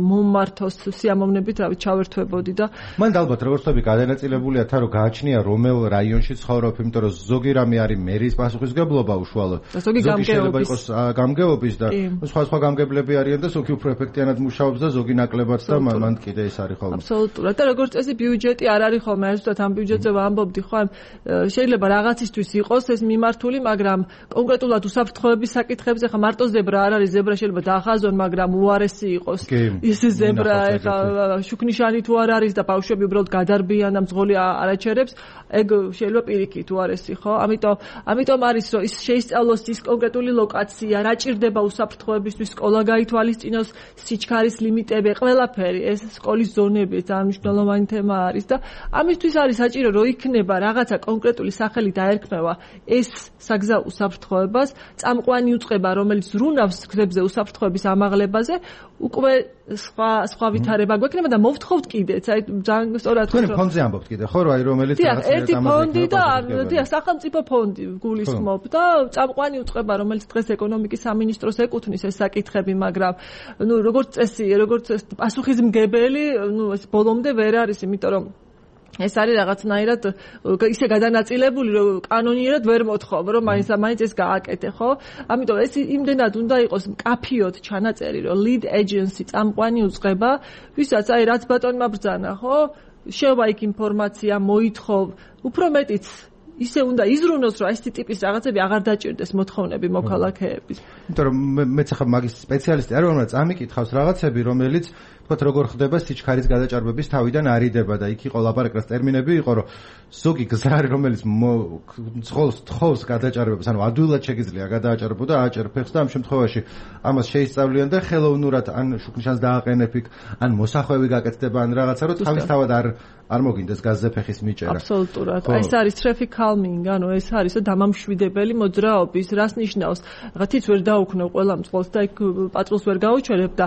მომმართოს სიამოვნებით, რავი, ჩავერთვებოდი და მან ალბათ როგორც ვთქვი, გადანაწილებულია თან რომ გააჩნია რომელ რაიონში ცხოვრობ, იმიტომ რომ ზოგი რამე არის მერის პასუხისმგებლობა უშუალოდ. ზოგი შეიძლება იყოს გამგეობის და სხვა გამგებლები არიან და ზოგი უფრო ეფექტიანად მუშაობს და ზოგი ნაკლებად და მან კიდე ეს არის ხოლმე. აბსოლუტურად. და როგორც წესი ბიუჯეტი არ არის ხოლმე, ზუსტად ამ ბიუჯეტზე ვამბობდი, ხო, შეიძლება რაღაცისთვის იყოს ეს მიმართული, მაგრამ კონკრეტულად უსაფრთხოების საკითხებზე ხა მარტო ზებრა არ არის, ზებრა შეიძლება დაახაზონ, მაგრამ უარესი იყოს ის ზებრა, ეხა შუქნიშანი თუ არ არის და ბავშვები უბრალოდ გადარბიან და მძღოლი არაჩერებს, ეგ შეიძლება პირიქით უარესი, ხო? ამიტომ არის რომ ის შეისწავლოს ის კონკრეტული ლოკაცია, რა ჭირდება უსაფრთხოებისთვის, სკოლა გაითვალისწინოს, სიჩქარის ლიმიტები, ყველაფერი, ეს სკოლის ზონები ძალიან მნიშვნელოვანი თემა არის და ამისთვის არის საჭირო რომ იქნება რაღაცა კონკრეტული სახელი დაერქმევა ეს საგზაო უსაფრთხოებას, წამყვანი უწყება, რომელიც ზრუნავს გზებზე უსაფრთხოების ამაღლებაზე, უკვე სხვა ვითარება გვექნება და მოვთხოვთ კიდეც, აი ძალიან სწორად თქვენ ფონდზე ამბობთ კიდე, ხო, რომ აი რომელიც რაღაცა ერთი ფონდი და სახელმწიფო ფონდი გულისხმობ და წამყვანი უწყება, რომელიც დღეს ეკონომიკის სამინისტროს ეკუთვნის ეს საკითხები, მაგრამ როგორც წესი, როგორც პასუხისმგებელი, ეს ბოლომდე ვერ არის, იმიტომ რომ ეს არის რაღაცნაირად ისე გადანაწილებული, რომ კანონიერად ვერ მოთხოვ, რომ მაინც ეს გააკეთე, ხო? ამიტომ ეს იმდენად უნდა იყოს მკაფიოდ ჩანაწერი, რომ lead agency წამყვანი უწყება, ვისაც აი რაც ბატონმა ბრძანა, ხო? შევა იქ ინფორმაცია, მოითხოვ, უფრო მეტიც ისე უნდა იზრუნოს, რომ ეს ტიპის რაღაცები აღარ დაჭირდეს მოთხოვნები მოქალაქეების. იმიტომ რომ მეც ახლა მაგის სპეციალისტი არ ვარ, მაგრამ წამიკითხავს რაღაცები, რომელიც თქვათ როგორ ხდება სიჩქარის გადაჭარბების თავიდან არიდება და იქ იყო ლაპარაკრას ტერმინები იყო რომ ზოგი გზარი რომელიც ძღოლს თხოვს გადაჭარბებას ანუ ადვილად შეგიძლია გადააჭარბო და ააჭერ ფეხს და ამ შემთხვევაში ამას შეისწავლიან და ხელოვნურად ან შუქნიშანს დააყენებ იქ ან მოსახვევი გაკეთდება ან რაღაცა რომ თავისთავად არ მოგინდეს გაზზე ფეხის მიჭერა. აბსოლუტურად. ეს არის traffic calming, ანუ ეს არის დამამშვიდებელი მოძრაობის, რას ნიშნავს? რაღაცით ვერ დაუქნევ ყველა მწყოს და იქ პატრულს ვერ გაუჩერებ და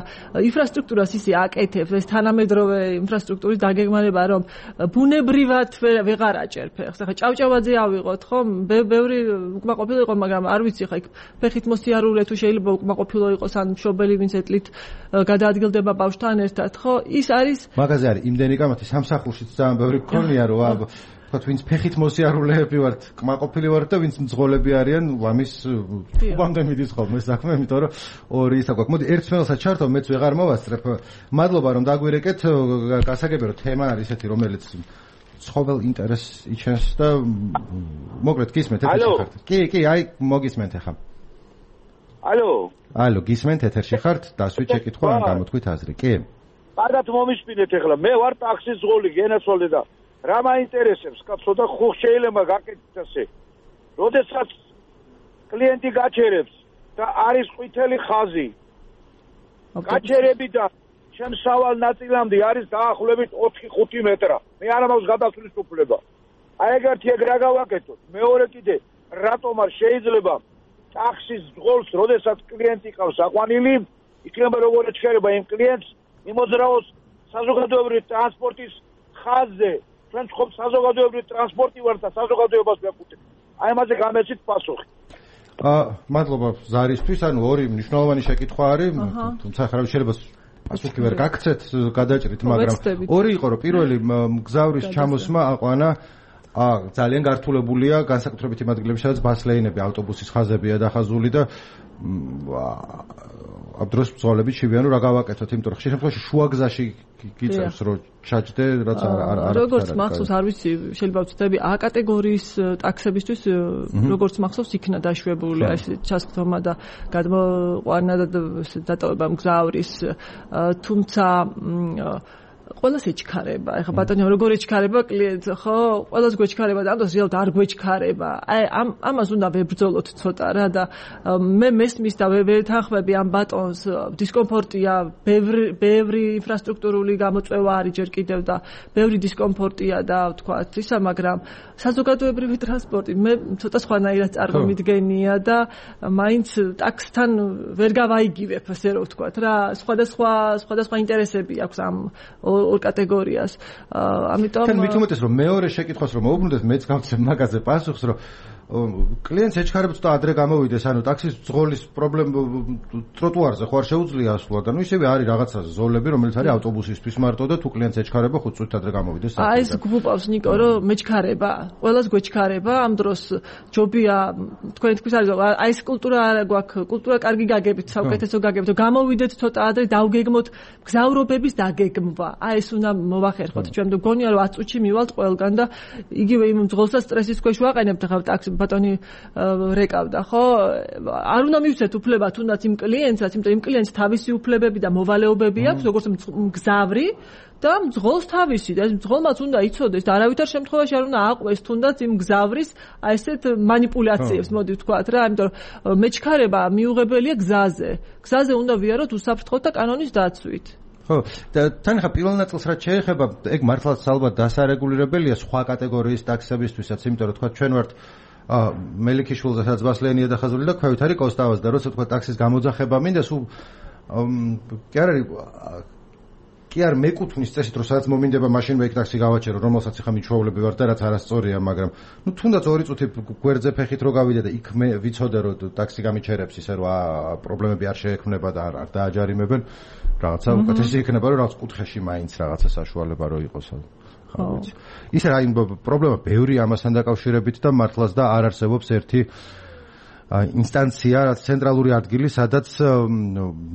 ინფრასტრუქტურას ისე აკეთებს, ეს თანამედროვე ინფრასტრუქტურის დაგეგმარება, რომ ბუნებრივად ვეღარ აჭერ ფეხს. ახლა ჭავჭავაძე ავიღოთ, ხო? ბევრი უკმაყოფილო იყო, მაგრამ არ ვიცი ხა იქ ფეხით მოსიარულე თუ შეიძლება უკმაყოფილო იყოს ან მშობელი ვინც ეტლით გადაადგილდება ბავშვთან ერთად, ხო? ის არის მაგაზე არის იმდენი კამათი სამსახურში ძალიან ბევრი გქონია რომ თქვათ ვინც ფეხით მოსიარულეები ვართ, კმაყოფილი ვართ და ვინც მძღოლები არიან, ამის უბამდე მიდის ხოლმე საქმე, იმიტომ რომ ორი ისა გვაქვს. მოდი ერთ მეელსაც ჩართო, მეც ვეღარ მოვასწრებ. მადლობა რომ დაგვირეკეთ. გასაგები რომ თემა არის ესეთი, რომელიც ცხოველ ინტერესს იჩენს და მოგრეთ გისმენთ ეთერში ხართ. კი, აი მოგისმენთ ახლა. ალო, გისმენთ ეთერში ხართ, დასვით შეკითხვა ან გამოთქვით აზრი. კი. კარგად მომისმინეთ ახლა. მე ვარ ტაქსის ზღოლი, გენაცვალე და რა მაინტერესებს, კაცო და ხო შეიძლება გაკეთდეს ასე. როდესაც კლიენტი გაჩერებს და არის ყვითელი ხაზი. გაჩერებიდან შემსავალ ნაწილამდე არის დაახლოებით 4-5 მეტრა. მე არ მაქვს გადასვლის უფლება. აი ეგეთი ეგ რა გავაკეთოთ? მეორე კიდე რატომ არ შეიძლება ტაქსის ზღოლს, როდესაც კლიენტი ყავს აყვანილი, იქნება როგორ ეჩქერება იმ კლიენტს, იმოძრაოს საზოგადოებრივი ტრანსპორტის ხაზზე. ჩვენ ხომ საზოგადოებრივი ტრანსპორტი ვართ და საზოგადოებას ვეყუთ. აი ამაზე გამეცით პასუხი. მადლობა ზარისთვის, ანუ ორი მნიშვნელოვანი შეკითხვა არის, თუმცა ხარ შეიძლება პასუხი ვერ გაგცეთ, გადაჭრით, მაგრამ ორი იყო, რომ პირველი მგზავრის ჩამოსმა აყვანა ძალიან გართულებულია განსაკუთრებით იმ ადგილებში, სადაც ბასლეინები, ავტობუსის ხაზებია დახაზული და ამ დროს ბრძოლები შევიან რა გავაკეთოთ, იმიტომ რომ ხშირ შემთხვევაში შუაგზაში გიწევს რომ ჩაჯდე, რაც არ როგორც მახსოვს, არ ვიცი, შეიძლება ვწდები A კატეგორიის ტაქსებისთვის როგორც მახსოვს იქნა დაშვებული ეს ჩასწომა და გადმოყვანა და დატოვება მგზავრის, თუმცა ყველას ეჩქარება. ეხლა ბატონო როგორ ეჩქარება კლიენტს, ხო? ყველას გვეჩქარება და ამ დროს რეალურად არ გვეჩქარება. აი ამას უნდა ვებრძოლოთ ცოტა რა და მე მესმის და ვეთანხმები ამ ბატონს, დისკომფორტია, ბევრი ინფრასტრუქტურული გამოწვევა არის ჯერ კიდევ და ბევრი დისკომფორტია და ვთქვათ ისა, მაგრამ საზოგადოებრივი ტრანსპორტი მე ცოტა სხვანაირად წარმომიდგენია და მაინც ტაქსთან ვერ გავაიგივებ, ასე რომ ვთქვათ რა, სხვადასხვა ინტერესები აქვს ამ ორ კატეგორიას. ამიტომ თან მით უმეტეს რომ მეორე შეკითხვას რომ მოუბრუნდეთ, მეც გავცემ მაგაზე პასუხს, რომ კლიენტს ეჩქარებს და ადრე გამოვიდეს, ანუ ტაქსის ძღოლის პრობლემა ტროტუარზე ხო არ შეუძლია ასვლა და ნუ ისევე არის რაღაცა ზოლები, რომელიც არის ავტობუსისთვის მარტო და თუ კლიენტს ეჩქარება, ხო წუთით ადრე გამოვიდეს. აი ეს გვუპავს ნიკო, რომ მეჩქარება, ყველას გვეჩქარება, ამ დროს ჯობია თქვენ თქვის არის, აი ეს კულტურა არ გვაქვს, კულტურა კარგი გაგებით, საუკეთესო გაგებით, რომ გამოვიდეთ ცოტა ადრე, დავგეგმოთ გზავრობების დაგეგმვა. აი ეს უნდა მოვახერხოთ. ჩვენ მგონია რომ 10 წუთში მივალთ ყველგან და იგივე იმ ძღოლსაც სტრესის ქვეშ ვაყენებთ ახლა ტაქსი ბატონი რეკავდა, ხო? არ უნდა მივცეთ უფლება თუნდაც იმ კლიენტსაც, იმიტომ იმ კლიენტს თავისი უფლებები და მოვალეობები აქვს, როგორც მგზავრი და მძღოლს თავისი და ეს მძღოლმაც უნდა იცოდეს და არავითარ შემთხვევაში არ უნდა აყვეს თუნდაც იმ მგზავრის აი ესეთ манипуляციებს, მოდი ვთქვათ რა, იმიტომ რომ მეჩქარება მიუღებელია გზაზე. გზაზე უნდა ვიაროთ უსაფრთხოდ და კანონის დაცვით. ხო, და თან ხა პირველ ნაწილს რაც შეეხება, ეგ მართლაც ალბათ დასარეგულირებელია სხვა კატეგორიის ტაქსებისთვისაც, იმიტომ რომ თქვა ჩვენ ვართ მელიქიშვილზე სადაც ბასლეინია დახაზული და ქვევით არის კოსტავას და როცა თქვა ტაქსის გამოძახება მინდა სულ კი არ მეკუთვნის წესით რომ სადაც მომინდება მაშინვე იქ ტაქსი გავაჩერო, რომელსაც ახლა მიჩვეულები ვარ და რაც არასწორია, მაგრამ ნუ თუნდაც 2 წუთი გვერდზე ფეხით რო გავიდე და იქ მე ვიცოდე რომ ტაქსი გამიჩერებს ისე რომ პრობლემები არ შეექმნება და არ დააჯარიმებენ, რაღაცა უკეთესი იქნება რომ რაღაც კუთხეში მაინც რაღაცა საშუალება რო იყოს. ხო ვიცი. ისე აი პრობლემა ბევრი ამასთან დაკავშირებით და მართლაც და არ არსებობს ერთი ინსტანცია, ცენტრალური ადგილი, სადაც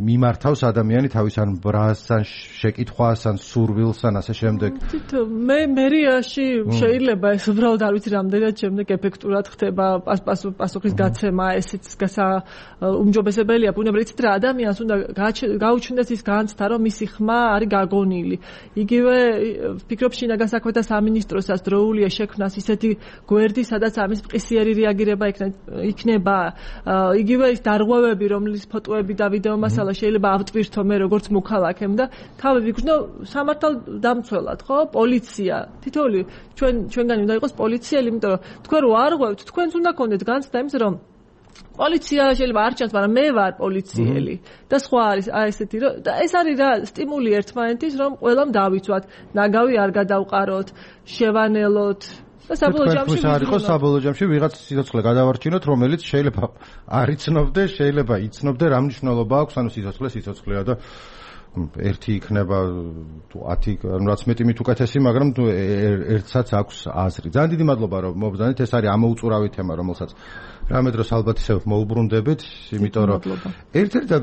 მიმართავს ადამიანი თავის ან ბრას, ან შეკითხვას, ან სურვილს, ან ასე შემდეგ. მე მერიაში შეიძლება ეს უბრალოდ არ ვიცი რამდენად შემდეგ ეფექტურად ხდება პასუხის გაცემა, ესეც უმჯობესებელია. ბუნებრივად იცით რა ადამიანს უნდა გაუჩნდეს ის განცდა, რომ მისი ხმა არის გაგონილი. იგივე ვფიქრობ შინაგან საქმეთა სამინისტროსაც დროულია შექმნას ისეთი გვერდი, სადაც ამის მყისიერი რეაგირება იქნება. იგივე ის დარღვევები, რომლის ფოტოები და ვიდეო მასალა შეიძლება ავტვირთო მე როგორც მოქალაქემ და თავი ვიგრძნო სამართალდამცველად, ხო? პოლიცია. თითოეული ჩვენგანი უნდა იყოს პოლიციელი, იმიტომ რომ თქვენ რო არ ღვევთ, თქვენც უნდა გქონდეთ განცდა იმის, რომ პოლიცია შეიძლება არ ჩანს, მაგრამ მე ვარ პოლიციელი და სხვა არის ესეთი რომ და ეს არის რა სტიმული ერთმანეთის, რომ ყველამ დავიცვათ, ნაგავი არ გადავყაროთ, შევანელოთ და საბოლოო ჯამში ვიღაც სიცოცხლე გადავარჩინოთ, რომელიც შეიძლება არ იცნობდე, შეიძლება იცნობდე რა მნიშვნელობა აქვს, ანუ სიცოცხლეა და ერთი იქნება თუ 10, ანუ რაც მეტი მით უკეთესი, მაგრამ თუ ერთსაც აქვს აზრი. ძალიან დიდი მადლობა რომ მობრძანეთ, ეს არის ამოუწურავი თემა, რომელსაც რამე დროს ალბათ ისევ მოუბრუნდებით, იმიტომ რომ ერთ-ერთი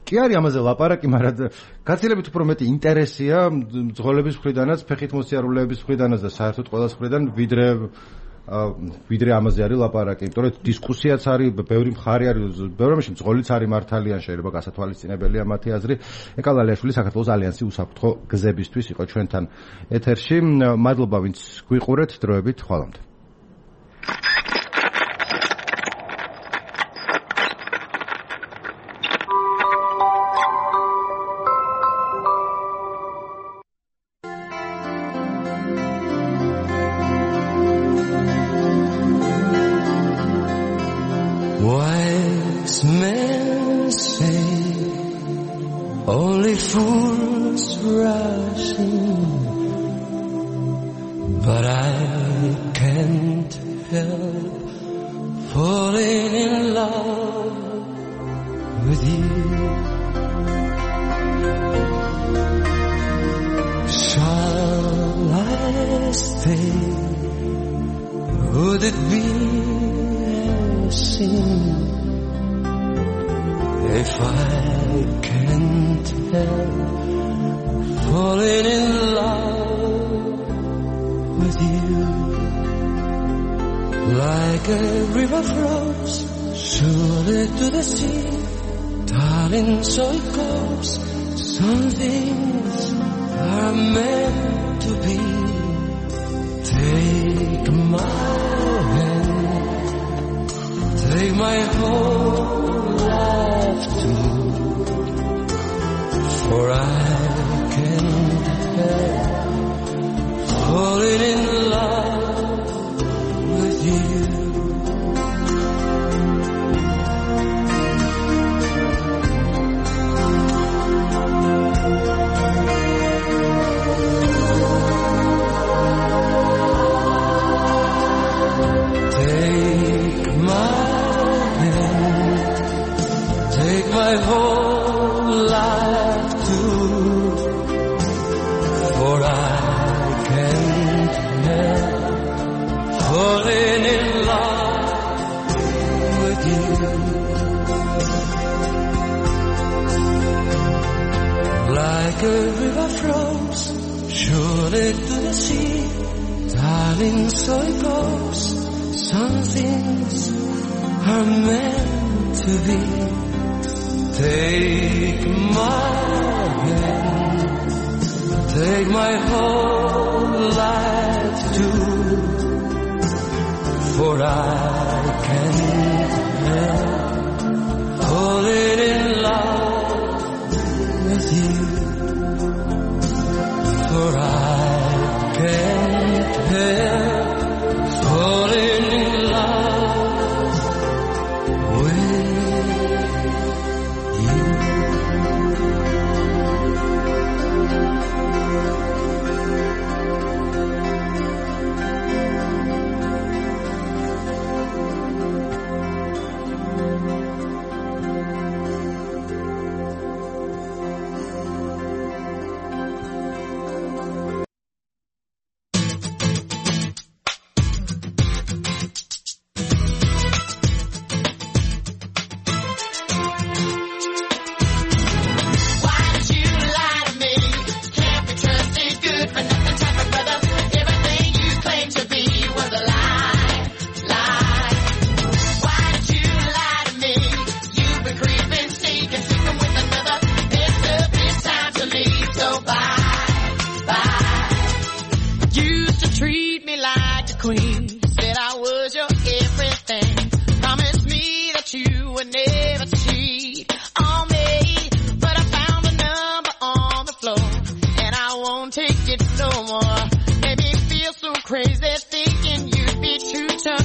კი არის ამაზე ლაპარაკი, მაგრამ გაცილებით უფრო მეტი ინტერესია მძღოლების მხრიდანაც, ფეხით მოსიარულეების მხრიდანაც და საერთოდ ყველას მხრიდან ვიდრე ამაზე არის ლაპარაკი, იმიტომ რომ დისკუსიაც არის, ბევრი მხარე არის, ბევრი რამეში მძღოლიც არის მართალიან, შეიძლება გასათვალისწინებელია მათი აზრი. ეკალ ალიაშვილი საქართველოს ალიანსი უსაფრთხო გზებისთვის იყო ჩვენთან ეთერში. მადლობა ვინც გვიყურეთ, დროებით ხვალამდე.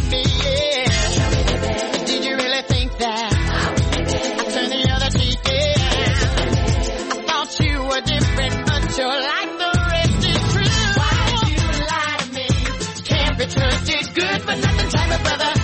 me, yeah. Did you really think that I turned the other cheek, yeah? I thought you were different, but you're like the rest is true. Why did you lie to me? Can't be trusted, good for nothing type of brother.